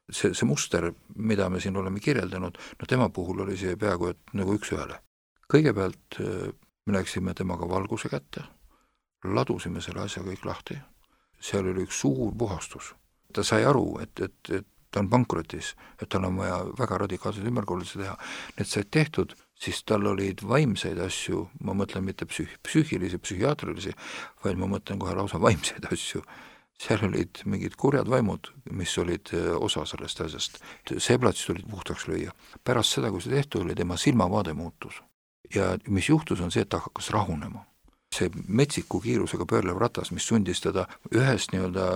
See, see muster, mida me siin oleme kirjeldanud, no tema puhul oli see peaaegu et nagu üks ühele. Kõigepealt me läksime temaga valguse kätte, ladusime selle asja kõik lahti, seal oli üks suur puhastus. Ta sai aru, et, et, et ta on pankrotis, et tal on vaja väga radikaalselt ümberkorraldusi teha. Need said tehtud, siis tal olid vaimseid asju, ma mõtlen mitte psüh- psüühilisi, psühhiaatrilisi, vaid ma mõtlen kohe lausa vaimseid asju. Seal olid mingid kurjad vaimud, mis olid osa sellest asjast. See plats tulid puhtaks lüüa. Pärast seda, kui see tehtud oli, tema silmavaade muutus. Ja mis juhtus on see, et ta hakkas rahunema. See metsiku kiirusega pöörlev ratas, mis sundis teda ühest nii-öelda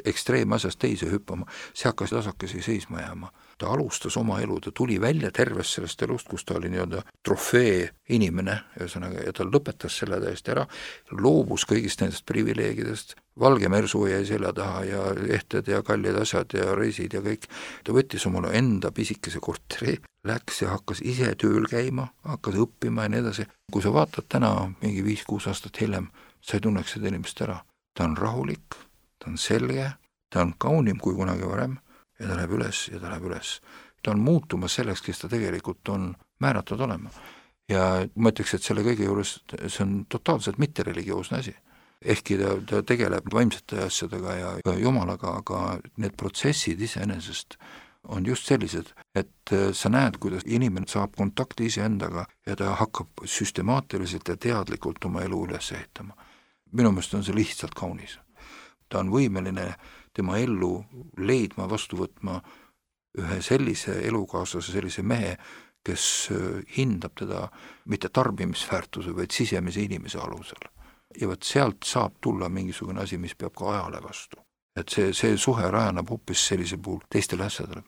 ekstreemasjast teise hüppama, see hakkas tasakesi seisma jääma. Ta alustas oma elu, ta tuli välja tervest sellest elust, kus ta oli nii-öelda trofee inimene, ühesõnaga, ja ta lõpetas selle täiesti ära, loobus kõigist nendest privileegidest, valge mersu jäi selja taha ja ehted ja kallid asjad ja reisid ja kõik. Ta võttis omale enda pisikese korteri, läks ja hakkas ise tööl käima, hakkas õppima ja nii edasi. Kui sa vaatad täna mingi viis-kuus aastat hiljem, sa ei tunneks seda inimest ära. Ta on rahulik, ta on selge, ta on kaunim kui kunagi varem ja ta läheb üles ja ta läheb üles. Ta on muutumas selleks, kes ta tegelikult on määratud olema. Ja ma ütleks, et selle kõige juures see on totaalselt mitte religioosne asi. Ehkki ta, ta tegeleb vaimsete asjadega ja jumalaga, aga need protsessid iseenesest on just sellised, et sa näed, kuidas inimene saab kontakti iseendaga ja ta hakkab süstemaatiliselt ja teadlikult oma elu üles ehitama. Minu meelest on see lihtsalt kaunis. Ta on võimeline tema ellu leidma, vastu võtma ühe sellise elukaaslase, sellise mehe, kes hindab teda mitte tarbimisväärtuse, vaid sisemise inimese alusel. Ja võt sealt saab tulla mingisugune asi, mis peab ka ajale vastu. Et see, see suhe rajaneb hoopis sellise puhul teistele asjadele.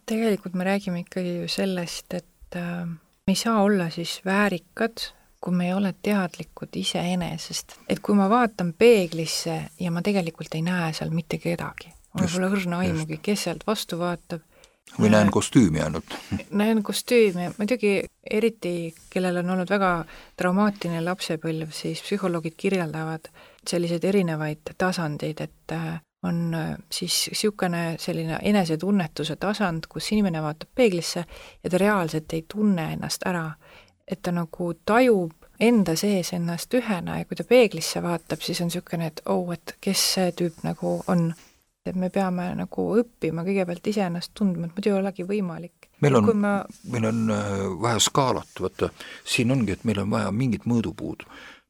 Tegelikult me räägime ikkagi ju sellest, et äh, me ei saa olla siis väärikad, kui me ei ole teadlikud iseenesest. Et kui ma vaatan peeglisse ja ma tegelikult ei näe seal mitte kedagi, mul pole õrna aimugi, kes sealt vastu vaatab. Või näen kostüümi ainult. Näen kostüümi. Muidugi eriti, kellel on olnud väga traumaatiline lapsepõlv, siis psühholoogid kirjeldavad selliseid erinevaid tasandeid, et on siis niisugune selline enesetunnetuse tasand, kus inimene vaatab peeglisse ja ta reaalselt ei tunne ennast ära. Et ta nagu tajub enda sees ennast ühena ja kui ta peeglisse vaatab, siis on niisugune, et oh, et kes see tüüp nagu on. Et me peame nagu õppima kõigepealt ise ennast tundma, et muidu ei olegi võimalik. Meil on, ma... meil on vaja skaalat, võtta. Siin ongi, et meil on vaja mingit mõõdupuud.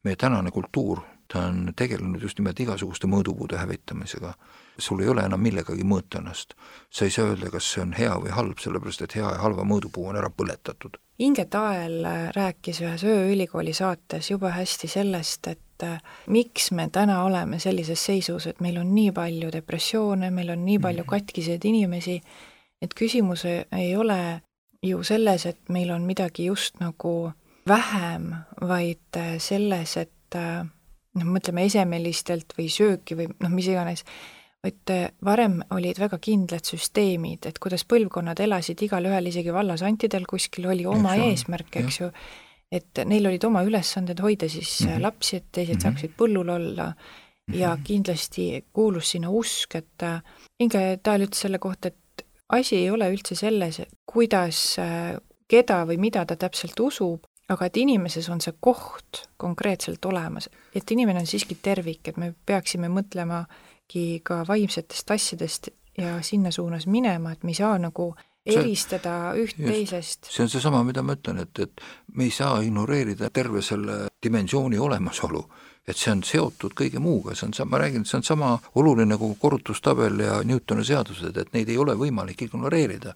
Meie tänane kultuur, ta on tegelenud just nimelt igasuguste mõõdupuude hävitamisega. Sul ei ole enam millegagi mõõta ennast. Sa ei saa öelda, kas see on hea või halb, sellepärast et hea ja halva mõõdupuu on ära põletatud. Inge Tael rääkis ühes ööülikooli saates juba hästi sellest, et miks me täna oleme sellises seisus, et meil on nii palju depressioone, meil on nii palju katkiseid inimesi, et küsimus ei ole ju selles, et meil on midagi just nagu vähem, vaid selles, et noh, mõtleme esemelistelt või sööki või noh, mis iganes, vaid varem olid väga kindlad süsteemid, et kuidas põlvkonnad elasid igal ühel, isegi vallasantidel kuskil oli oma eks eesmärk, eks ju, et neil olid oma ülesanded hoida siis mm-hmm. lapsi, et teised mm-hmm. saaksid põllul olla ja mm-hmm. kindlasti kuulus sinna usk, et Inge Tael ütles selle kohta, et asi ei ole üldse selles, kuidas, keda või mida ta täpselt usub, aga et inimeses on see koht konkreetselt olemas, et inimene on siiski tervik, et me peaksime mõtlema ka vaimsetest asjadest ja sinna suunas minema, et me ei saa nagu eristada üht just, teisest. See on seesama, mida ma ütlen, et, et me ei saa ignoreerida terve selle dimensiooni olemasolu, et see on seotud kõige muuga, see on, ma räägin, et see on sama oluline nagu korrutustabel ja Newtoni seadused, et neid ei ole võimalik ignoreerida.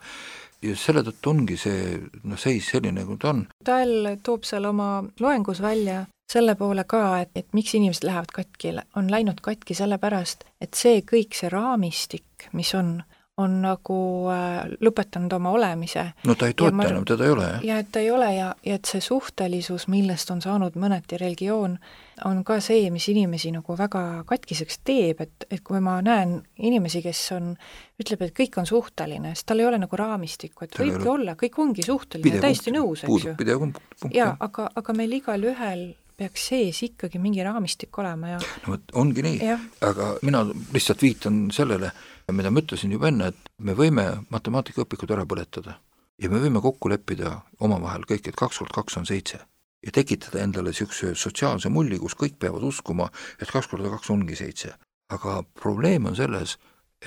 Ja selle tõttu ongi see no, seis selline, kui ta on. Tal toob seal oma loengus välja selle poole ka, et, et miks inimesed lähevad katki, on läinud katki sellepärast, et see kõik see raamistik, mis on, on nagu äh, lõpetanud oma olemise. No ta ei toeta enam, teda ei ole, jah? Ja et ta ei ole ja, ja et see suhtelisus, millest on saanud mõneti religioon, on ka see, mis inimesi nagu väga katkiseks teeb, et, et kui ma näen inimesi, kes on, ütleb, et kõik on suhteline, sest tal ei ole nagu raamistikku, et võibki ole... olla, kõik ongi suhteline, täiesti nõus, eks ju. Pidev punkt. Ja, aga, aga meil igal ühel peaks sees ikkagi mingi raamistik olema ja no, ongi nii, ja. Aga mina lihtsalt viitan sellele, mida ma ütlesin juba enne, et me võime matemaatikaõpikud ära põletada ja me võime kokku leppida omavahel kõik, et kaks korda kaks on seitse ja tekitada endale niisuguse sotsiaalse mulli, kus kõik peavad uskuma, et kaks korda kaks ongi seitse. Aga probleem on selles,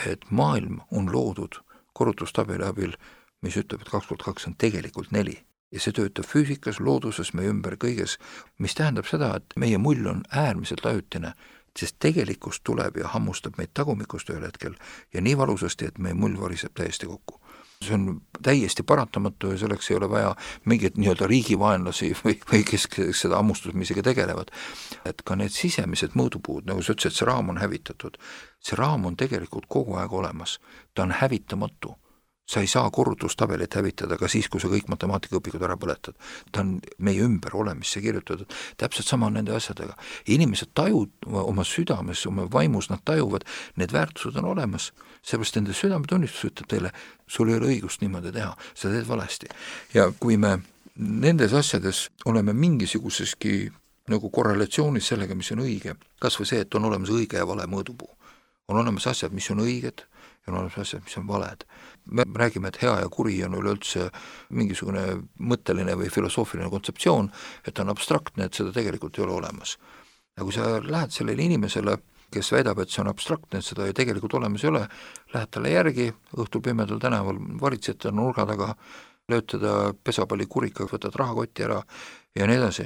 et maailm on loodud korrutustabeli abil, mis ütleb, et kaks korda kaks on tegelikult neli. Ja see töötab füüsikas, looduses, meie ümber kõiges, mis tähendab seda, et meie mull on äärmiselt ajutine, sest tegelikkus tuleb ja hammustab meid tagumikust ühel hetkel ja nii valusasti, et meie mull variseb täiesti kokku. See on täiesti paratamatu ja selleks ei ole vaja mingit nii-öelda riigivaenlasi või, või kes seda hammustusmisega tegelevad. Et ka need sisemised mõõdupuud, nagu sa ütlesid, see raam on hävitatud. See raam on tegelikult kogu aeg olemas. Ta on hävitamatu. Sa ei saa korrutustabelit hävitada ka siis, kui sa kõik matemaatikaõpikud ära põletad. Ta on meie ümber olemisse kirjutatud. Täpselt sama on nende asjadega. Inimesed tajud oma südames, oma vaimus, nad tajuvad, need väärtused on olemas. Seepärast nende südametunnistus ütleb teile, sul ei ole õigust niimoodi teha, sa teed valesti. Ja kui me nendes asjades oleme mingisuguseski nagu korrelatsioonis sellega, mis on õige, kas või see, et on olemas õige ja vale mõõdupuu. On olemas asjad, mis on õiged ja on olemas asjad, mis on valed. Me räägime, et hea ja kuri on üleüldse mingisugune mõtteline või filosoofiline kontseptsioon, et on abstraktne, et seda tegelikult ei ole olemas. Ja kui sa lähed sellele inimesele, kes väidab, et see on abstraktne, et seda tegelikult olemas ei ole, lähed talle järgi, õhtul pimedal tänaval varitsed ta nurga taga, lööd teda pesapalli kurikaga, võtad rahakotti ära ja nii edasi.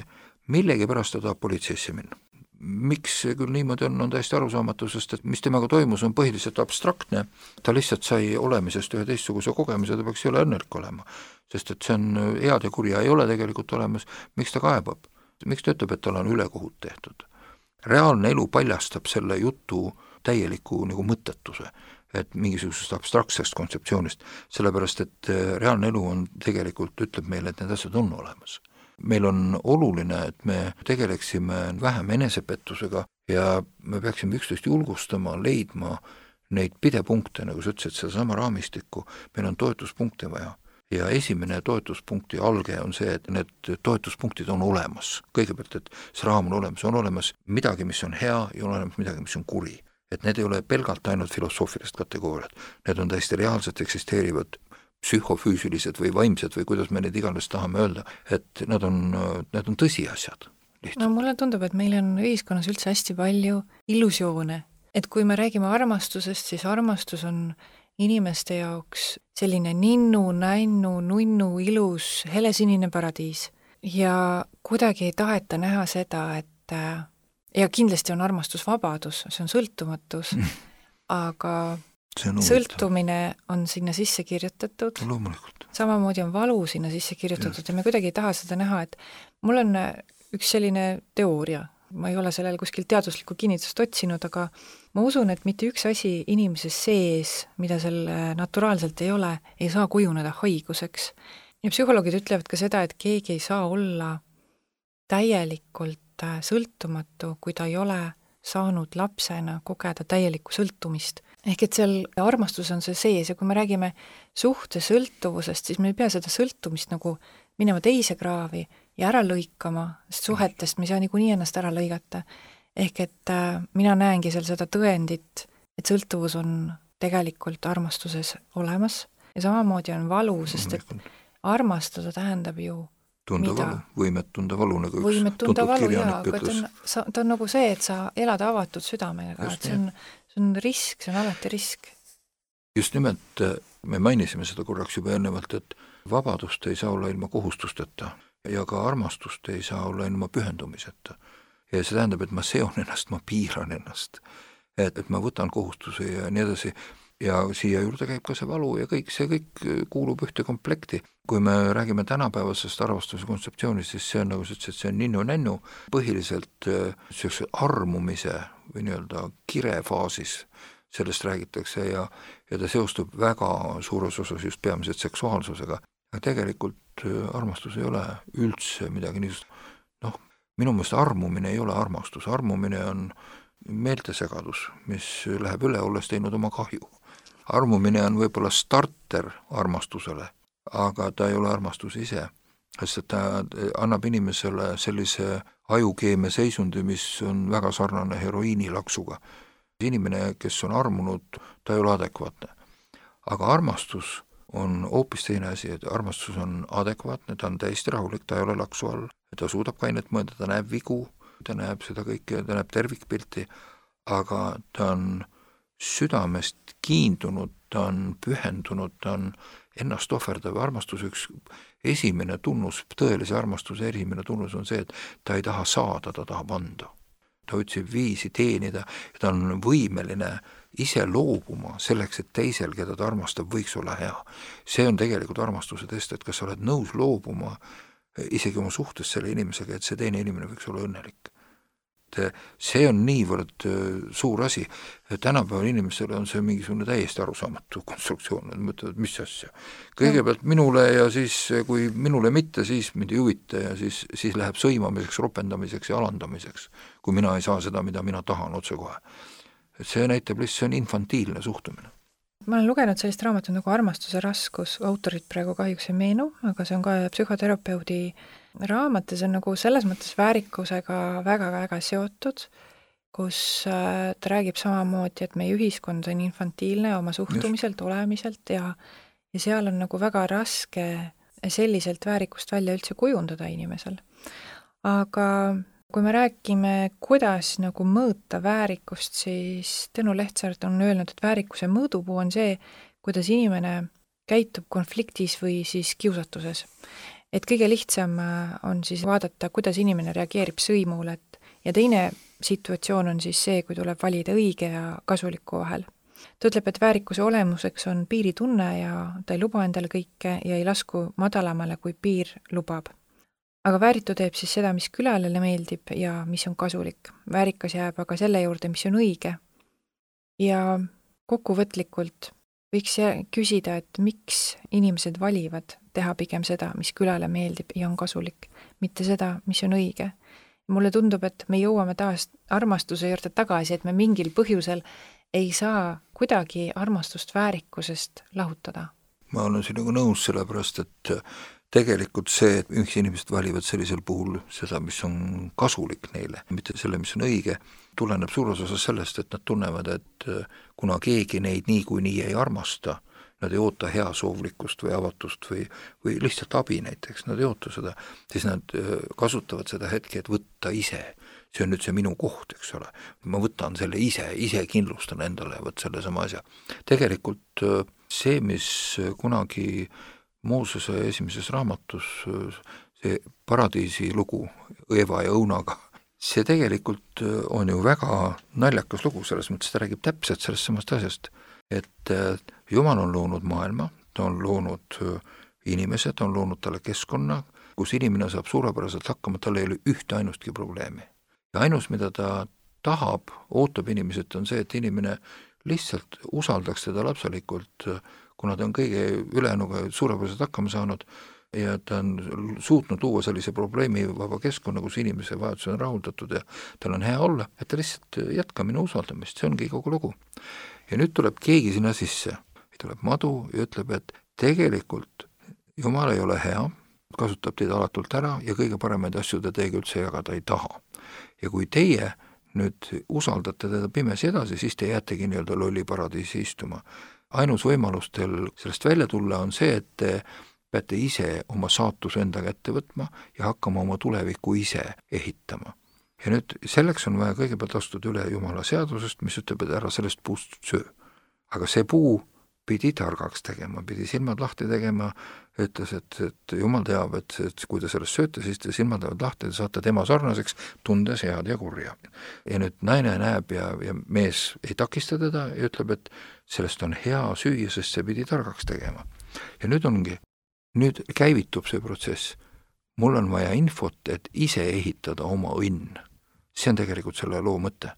Millegi pärast ta tahab politseisse minna. Miks see küll niimoodi on, on täiesti arusaamatu, sest et mis temaga toimus, on põhiliselt abstraktne. Ta lihtsalt sai olemisest ühe teistsuguse kogemise, ta peaks ei ole õnnelik olema. Sest et see on head ja kurja ei ole tegelikult olemas. Miks ta kaebab? Miks ta ütleb, et tal on ülekohut tehtud? Reaalne elu paljastab selle jutu täieliku nagu mõttetuse, et mingisugusest abstraktsest kontseptsioonist, sellepärast et reaalne elu on tegelikult, ütleb meile, et need asjad on olemas. Meil on oluline, et me tegeleksime vähem enesepettusega ja me peaksime üksteist julgustama, leidma neid pidepunkte, nagu sa ütlesid, seda sama raamistikku, meil on toetuspunkte vaja. Ja esimene toetuspunkti alge on see, et need toetuspunktid on olemas. Kõigepealt, et see raam on olemas, on olemas midagi, mis on hea ja on olemas midagi, mis on kuri. Et need ei ole pelgalt ainult filosoofilised kategooriad, need on täiesti reaalselt eksisteerivad psühhofüüsilised või vaimsed või kuidas me need iganes tahame öelda, et nad on, need on tõsiasjad. Lihtsalt. No mulle tundub, et meil on ühiskonnas üldse hästi palju illusioone. Et kui me räägime armastusest, siis armastus on inimeste jaoks selline ninnu, nännu, nunnu, ilus, helesinine paradiis. Ja kuidagi ei taheta näha seda, et ja kindlasti on armastusvabadus, see on sõltumatus, mm. aga on sõltumine on sinna sisse kirjutatud. Loomulikult. Samamoodi on valu sinna sisse kirjutatud ja. ja me kuidagi ei taha seda näha, et mul on üks selline teooria, ma ei ole sellel kuskil teaduslikku kinnitust otsinud, aga ma usun, et mitte üks asi inimese sees, mida seal naturaalselt ei ole, ei saa kujuneda haiguseks. Ja psühholoogid ütlevad ka seda, et keegi ei saa olla täielikult sõltumatu, kui ta ei ole saanud lapsena kogeda täielikku sõltumist. Ehk et seal armastus on see sees ja kui me räägime suhte sõltuvusest, siis me ei pea seda sõltumist nagu minema teise kraavi ja ära lõikama suhetest, mis on niikuinii ennast ära lõigata. Ehk et äh, mina näengi seal seda tõendit, et sõltuvus on tegelikult armastuses olemas ja samamoodi on valu, sest et armastada tähendab ju tunda mida? Valu, võimet tunda valu, nagu võimet tunda valu, jaa, aga ta on, sa, ta on nagu see, et sa elad avatud südamega, et see on, see on risk, see on alati risk. Just nimelt me mainisime seda korraks juba ennevalt, et vabadust ei saa olla ilma kohustusteta ja ka armastust ei saa olla ilma pühendumiseta. Ja see tähendab, et ma seon ennast, ma piiran ennast, et, et ma võtan kohustuse ja nii edasi. Ja siia juurde käib ka see valu ja kõik, see kõik kuulub ühte komplekti. Kui me räägime tänapäevasest armastuse kontseptsioonist, siis see on nagu see, see on ninnu-nännu põhiliselt sellise armumise või nii-öelda kirefaasis sellest räägitakse ja, ja ta seostub väga suures osas just peamiselt seksuaalsusega. Aga tegelikult armastus ei ole üldse midagi niisugust. Noh, minu meelest armumine ei ole armastus. Armumine on meeltesegadus, mis läheb üle, olles teinud oma kahju. Armumine on võib-olla starter armastusele, aga ta ei ole armastus ise, sest ta annab inimesele sellise ajukeemia seisundi, mis on väga sarnane heroiinilaksuga. Inimene, kes on armunud, ta ei ole adekvaatne. Aga armastus on hoopis teine asi, et armastus on adekvaatne, ta on täiesti rahulik, ta ei ole laksu all, ta suudab kainet mõelda, ta näeb vigu, ta näeb seda kõike, ta näeb tervikpilti, aga ta on südamest kiindunud, ta on pühendunud, ta on ennast ohverdav. Armastus üks esimene tunnus, tõelise armastuse esimene tunnus on see, et ta ei taha saada, ta tahab anda. Ta otsib viisi teenida ja ta on võimeline ise loobuma selleks, et teisel, keda ta armastab, võiks olla hea. See on tegelikult armastuse test, et kas sa oled nõus loobuma isegi oma suhtes selle inimesega, et see teine inimene võiks olla õnnelik. See on niivõrd suur asi. Tänapäeval inimesele on see mingisugune täiesti arusaamatu konstruktsioon, et mõtlevad, mis asja. Kõigepealt minule ja siis, kui minule mitte, siis mind ei huvita ja siis, siis läheb sõimamiseks, ropendamiseks ja alandamiseks, kui mina ei saa seda, mida mina tahan otse kohe. Et see näitab lihtsalt, see on infantiilne suhtumine. Ma olen lugenud sellist raamatut nagu Armastuse raskus, autorit praegu kahjuks ei meenu, aga see on ka psühhoterapeudi raamat ja see on nagu selles mõttes väärikusega väga-väga seotud, kus ta räägib samamoodi, et meie ühiskond on infantiilne oma suhtumiselt, olemiselt ja, ja seal on nagu väga raske selliselt väärikust välja üldse kujundada inimesel. Aga kui me räägime, kuidas nagu mõõta väärikust, siis Tõnu Lehtsaart on öelnud, et väärikuse mõõdupuu on see, kuidas inimene käitub konfliktis või siis kiusatuses. Et kõige lihtsam on siis vaadata, kuidas inimene reageerib sõimule, et ja teine situatsioon on siis see, kui tuleb valida õige ja kasuliku vahel. Ta ütleb, et väärikuse olemuseks on piiritunne ja ta ei luba endale kõike ja ei lasku madalamale, kui piir lubab. Aga vääritu teeb siis seda, mis külalele meeldib ja mis on kasulik. Väärikas jääb aga selle juurde, mis on õige. Ja kokkuvõtlikult võiks küsida, et miks inimesed valivad teha pigem seda, mis külale meeldib ja on kasulik, mitte seda, mis on õige. Mulle tundub, et me jõuame taas armastuse juurde tagasi, et me mingil põhjusel ei saa kuidagi armastust väärikusest lahutada. Ma olen sinuga nõus sellepärast, et tegelikult see, et üks inimesed valivad sellisel puhul seda, mis on kasulik neile, mitte selle, mis on õige, tuleneb suures osas sellest, et nad tunnevad, et kuna keegi neid nii kui nii ei armasta, nad ei oota heasoovlikkust või avatust või, või lihtsalt abi näiteks, nad ei oota seda, siis nad kasutavad seda hetke, et võtta ise. See on nüüd see minu koht, eks ole. Ma võtan selle ise, ise kindlustan endale võt selle sama asja. Tegelikult see, mis kunagi Moosese esimeses raamatus, see paradiisi lugu Eeva ja Õunaga, see tegelikult on ju väga naljakas lugu, selles mõttes ta räägib täpselt sellest samast asjast, et Jumal on loonud maailma, ta on loonud inimesed, ta on loonud talle keskkonna, kus inimene saab suurepäraselt hakkama, tal ei ole ühte ainustki probleemi. Ja ainus, mida ta tahab, ootab inimesed, on see, et inimene lihtsalt usaldaks teda lapselikult, kuna ta on kõige ülejäänuga suurepäraselt hakkama saanud ja ta on suutnud luua sellise probleemi vaba keskkonna, kus inimese vajadused on rahuldatud ja tal on hea olla, et ta lihtsalt jätka minu usaldamist, see ongi kogu lugu. Ja nüüd tuleb keegi sinna sisse, tuleb madu ja ütleb, et tegelikult Jumal ei ole hea, kasutab teid alatult ära ja kõige paremaid asju ta teiega üldse jagada ei taha. Ja kui teie nüüd usaldate teda pimesi edasi, siis te jäätegi nii-öelda lolli paradiisi istuma. Ainus võimalus teil sellest välja tulla on see, et te peate ise oma saatuse enda kätte võtma ja hakkama oma tulevikku ise ehitama. Ja nüüd selleks on vaja kõigepealt astuda üle Jumala seadusest, mis ütleb, et ära sellest puust söö. Aga see puu pidi targaks tegema, pidi silmad lahti tegema, ütles, et, et jumal teab, et, et kui te sellest sööte, siis te silmad lähevad lahti, te saate tema sarnaseks, tundes head ja kurja. Ja nüüd naine näeb ja, ja mees ei takista teda ja ütleb, et sellest on hea süüa, sest see pidi targaks tegema. Ja nüüd ongi, nüüd käivitub see protsess. Mul on vaja infot, et ise ehitada oma õnn. See on tegelikult selle loo mõte.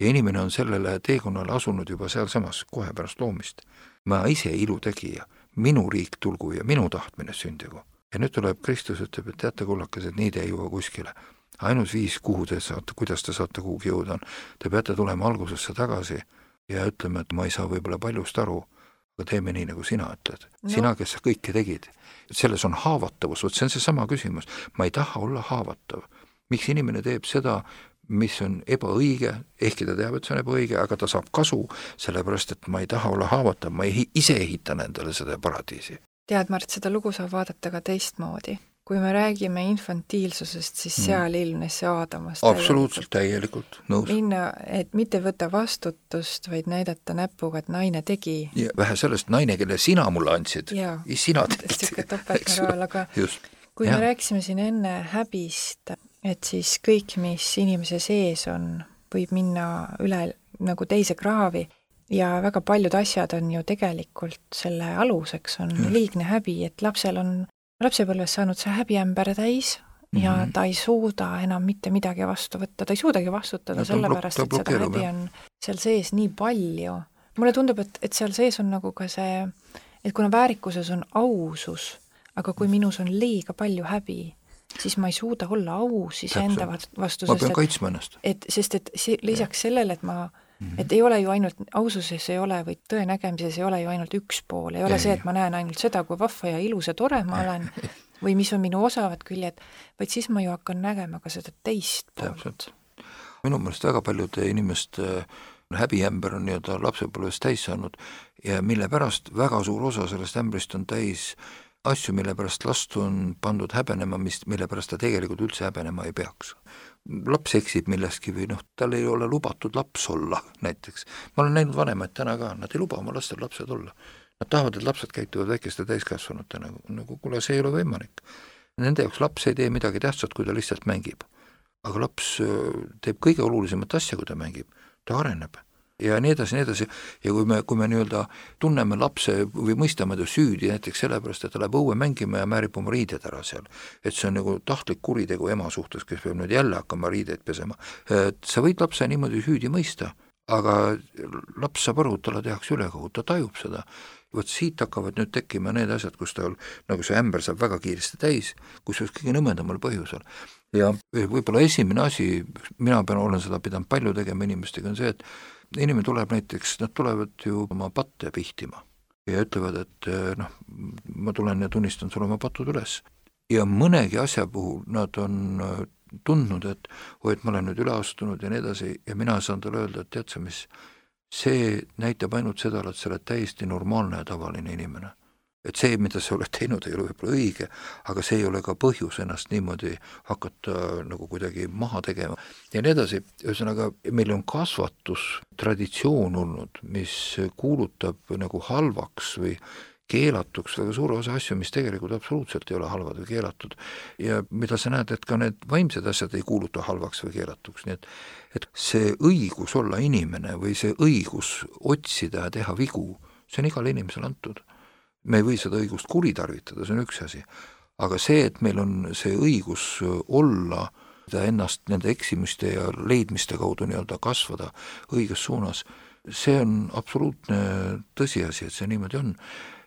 Ja inimene on sellele teekonnale asunud juba seal samas kohe pärast loomist. Ma ise ilu tegija, minu riik tulgu ja minu tahtmine sündigu. Ja nüüd tuleb Kristus, ütleb, et teate kullakas, et nii te ei jõua kuskile. Ainus viis, kuhu te saate, kuidas te saate kuhugi jõuda on. Te peate tulema algusesse tagasi ja ütlema, et ma ei saa võib-olla paljust aru, aga teeme nii, nagu sina ütled. No. Sina, kes sa kõike tegid. Selles on haavatavus, see on see sama küsimus. Ma ei taha olla haavatav. Miks inimene teeb seda, mis on ebaõige, ehkki ta teab, et see on ebaõige, aga ta saab kasu, sellepärast, et ma ei taha olla haavatav, ma ei, ise ehitan endale seda paradiisi. Tead, Mart, seda lugu saab vaadata ka teistmoodi. Kui me räägime infantiilsusest, siis mm. seal ilmnes see Aadamas. Absoluutselt, täielikult, nõus. Minna, et mitte võtta vastutust, vaid näidata näpuga, et naine tegi. Ja vähe sellest naine, kelle sina mulle andsid. Jaa, sina tegid. Siuke topeltmoraal, aga Just. kui ja. me rääkisime siin enne häbist, et siis kõik, mis inimese sees on, võib minna üle nagu teise kraavi ja väga paljud asjad on ju tegelikult selle aluseks on mm. liigne häbi, et lapsel on lapsepõlves saanud see häbiämber täis ja mm-hmm. ta ei suuda enam mitte midagi vastu võtta, ta ei suudagi vastutada no, sellepärast, et seda häbi on seal sees nii palju. Mulle tundub, et, et seal sees on nagu ka see, et kuna väärikuses on ausus, aga kui minus on liiga palju häbi, siis ma ei suuda olla aus iseenda vastu. Ma pean kaitsma ennast. Et, sest et see, lisaks sellele, et ma mm-hmm. et ei ole ju ainult, aususes ei ole või tõe nägemises ei ole ju ainult üks pool, ei ole ei, see, et ma näen ainult seda, kui vahva ja ilus ja tore ma olen või mis on minu osavad küljed, vaid siis ma ju hakkan nägema ka seda teist poolt. Minu meelest väga paljude inimeste häbiämber on nii-öelda lapsepõlves täis saanud ja mille pärast väga suur osa sellest ämbrist on täis asju, mille pärast last on pandud häbenema, mis, mille pärast ta tegelikult üldse häbenema ei peaks. Laps eksib millestki või noh, tal ei ole lubatud laps olla näiteks. Ma olen näinud vanemaid täna ka, nad ei luba oma lastel lapsed olla. Nad tahavad, et lapsed käituvad väikeste täiskasvanute nagu, nagu kuule, see ei ole võimalik. Nende jaoks laps ei tee midagi tähtsat, kui ta lihtsalt mängib. Aga laps teeb kõige olulisemat asja, kui ta mängib. Ta areneb. Ja nii edasi, nii edasi. Ja kui me, kui me nii-öelda tunneme lapse või mõistame ta süüdi näiteks sellepärast, et ta läheb õue mängima ja määrib oma riided ära seal. Et see on nagu tahtlik kuritegu ema suhtes, kes peab nüüd jälle hakkama riideid pesema. Et sa võid lapse niimoodi süüdi mõista, aga laps saab aru, et talle tehakse ülekogu, ta tajub seda. Võt siit hakkavad nüüd tekkima need asjad, kus tal nagu see ämber saab väga kiiresti täis, kus oleks kõige nõmendamal põhjusel. Ja võib-olla esimene asi, mina pean, olen seda pidanud palju tegema inimestega, on see, et inimene tuleb näiteks, nad tulevad ju oma patte pihtima ja ütlevad, et noh, ma tulen ja tunnistan sulle oma patud üles. Ja mõnegi asja puhul nad on tundnud, et oi, et ma olen nüüd üle astunud ja nii edasi ja mina saan talle öelda, et tead sa mis, see näitab ainult seda, et sa oled täiesti normaalne ja tavaline inimene. Et see, mida sa oled teinud, ei ole võib-olla õige, aga see ei ole ka põhjus ennast niimoodi hakata nagu kuidagi maha tegema. Ja nii edasi, ühesõnaga, meil on kasvatustraditsioon olnud, mis kuulutab nagu halvaks või keelatuks väga suure osa asju, mis tegelikult absoluutselt ei ole halvad või keelatud. Ja mida sa näed, et ka need vaimsed asjad ei kuuluta halvaks või keelatuks. Nii et, et see õigus olla inimene või see õigus otsida ja teha vigu, see on igal inimesel antud. Me ei või seda õigust kuritarvitada, see on üks asi. Aga see, et meil on see õigus olla ennast nende eksimiste ja leidmiste kaudu nii-öelda kasvada õiges suunas, see on absoluutne tõsiasi, et see niimoodi on.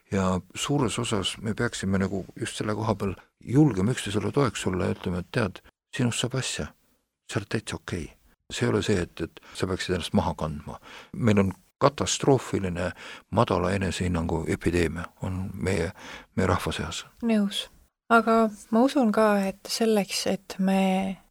Ja suures osas me peaksime nagu just selle koha peal julgema üksteisele toeks olla ja ütlema, et tead, sinust saab asja, sa oled täitsa okei. See ei ole see, et, et sa peaksid ennast maha kandma. Meil on katastroofiline madala enesehinnangu epideemia on meie, meie rahva seas. Nõus. Aga ma usun ka, et selleks, et me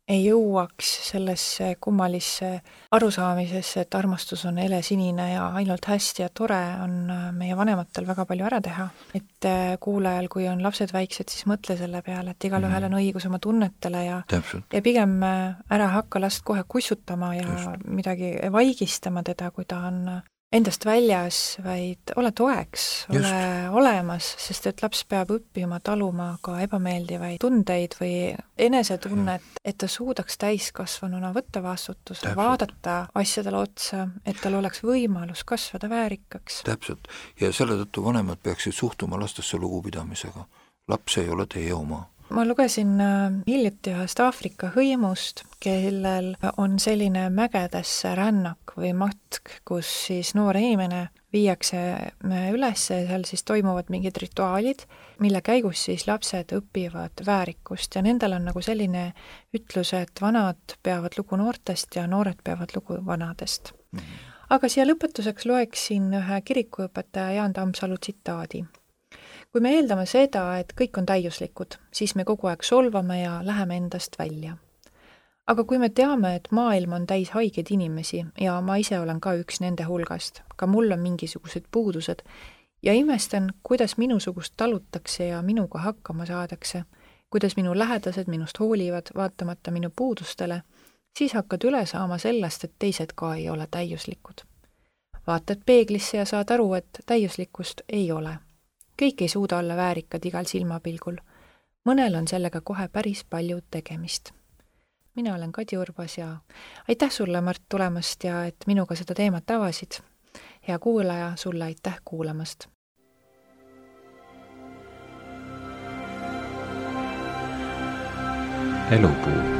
ei jõuaks sellesse kummalisse arusaamisesse, et armastus on helesinine ja ainult hästi ja tore, on meie vanematel väga palju ära teha. Et kuulajal, kui on lapsed väiksed, siis mõtle selle peale, et igal ühel on õigus oma tunnetele ja, ja pigem ära hakka last kohe kussutama ja Just. midagi vaigistama teda, kui ta on endast väljas, vaid ole toeks, ole Just. olemas, sest et laps peab õppima taluma ka ebameeldivaid tundeid või enesetunnet, et ta suudaks täiskasvanuna võtta vastutuse, Täpselt. vaadata asjadele otsa, et tal oleks võimalus kasvada väärikaks. Täpselt. Ja selle tõttu vanemad peaksid suhtuma lastesse lugupidamisega. Laps ei ole teie oma. Ma lugesin hiljuti ühest Aafrika hõimust, kellel on selline mägedesse rännak või matk, kus siis noor inimene viiakse üles, seal siis toimuvad mingid rituaalid, mille käigus siis lapsed õpivad väärikust ja nendel on nagu selline ütlus, et vanad peavad lugu noortest ja noored peavad lugu vanadest. Mm-hmm. Aga siia lõpetuseks loeksin ühe kirikuõpetaja Jaan Tammsalu tsitaadi. Kui me eeldame seda, et kõik on täiuslikud, siis me kogu aeg solvame ja läheme endast välja. Aga kui me teame, et maailm on täis haigeid inimesi ja ma ise olen ka üks nende hulgast, ka mul on mingisugused puudused ja imestan, kuidas minusugust talutakse ja minuga hakkama saadakse, kuidas minu lähedased minust hoolivad, vaatamata minu puudustele, siis hakkad üle saama sellest, et teised ka ei ole täiuslikud. Vaatad peeglisse ja saad aru, et täiuslikkust ei ole. Kõik ei suuda olla väärikad igal silmapilgul. Mõnel on sellega kohe päris palju tegemist. Mina olen Kadi Urbas ja aitäh sulle, Mart, tulemast ja et minuga seda teemat avasid. Hea kuulaja, sulle aitäh kuulamast. Elupuu.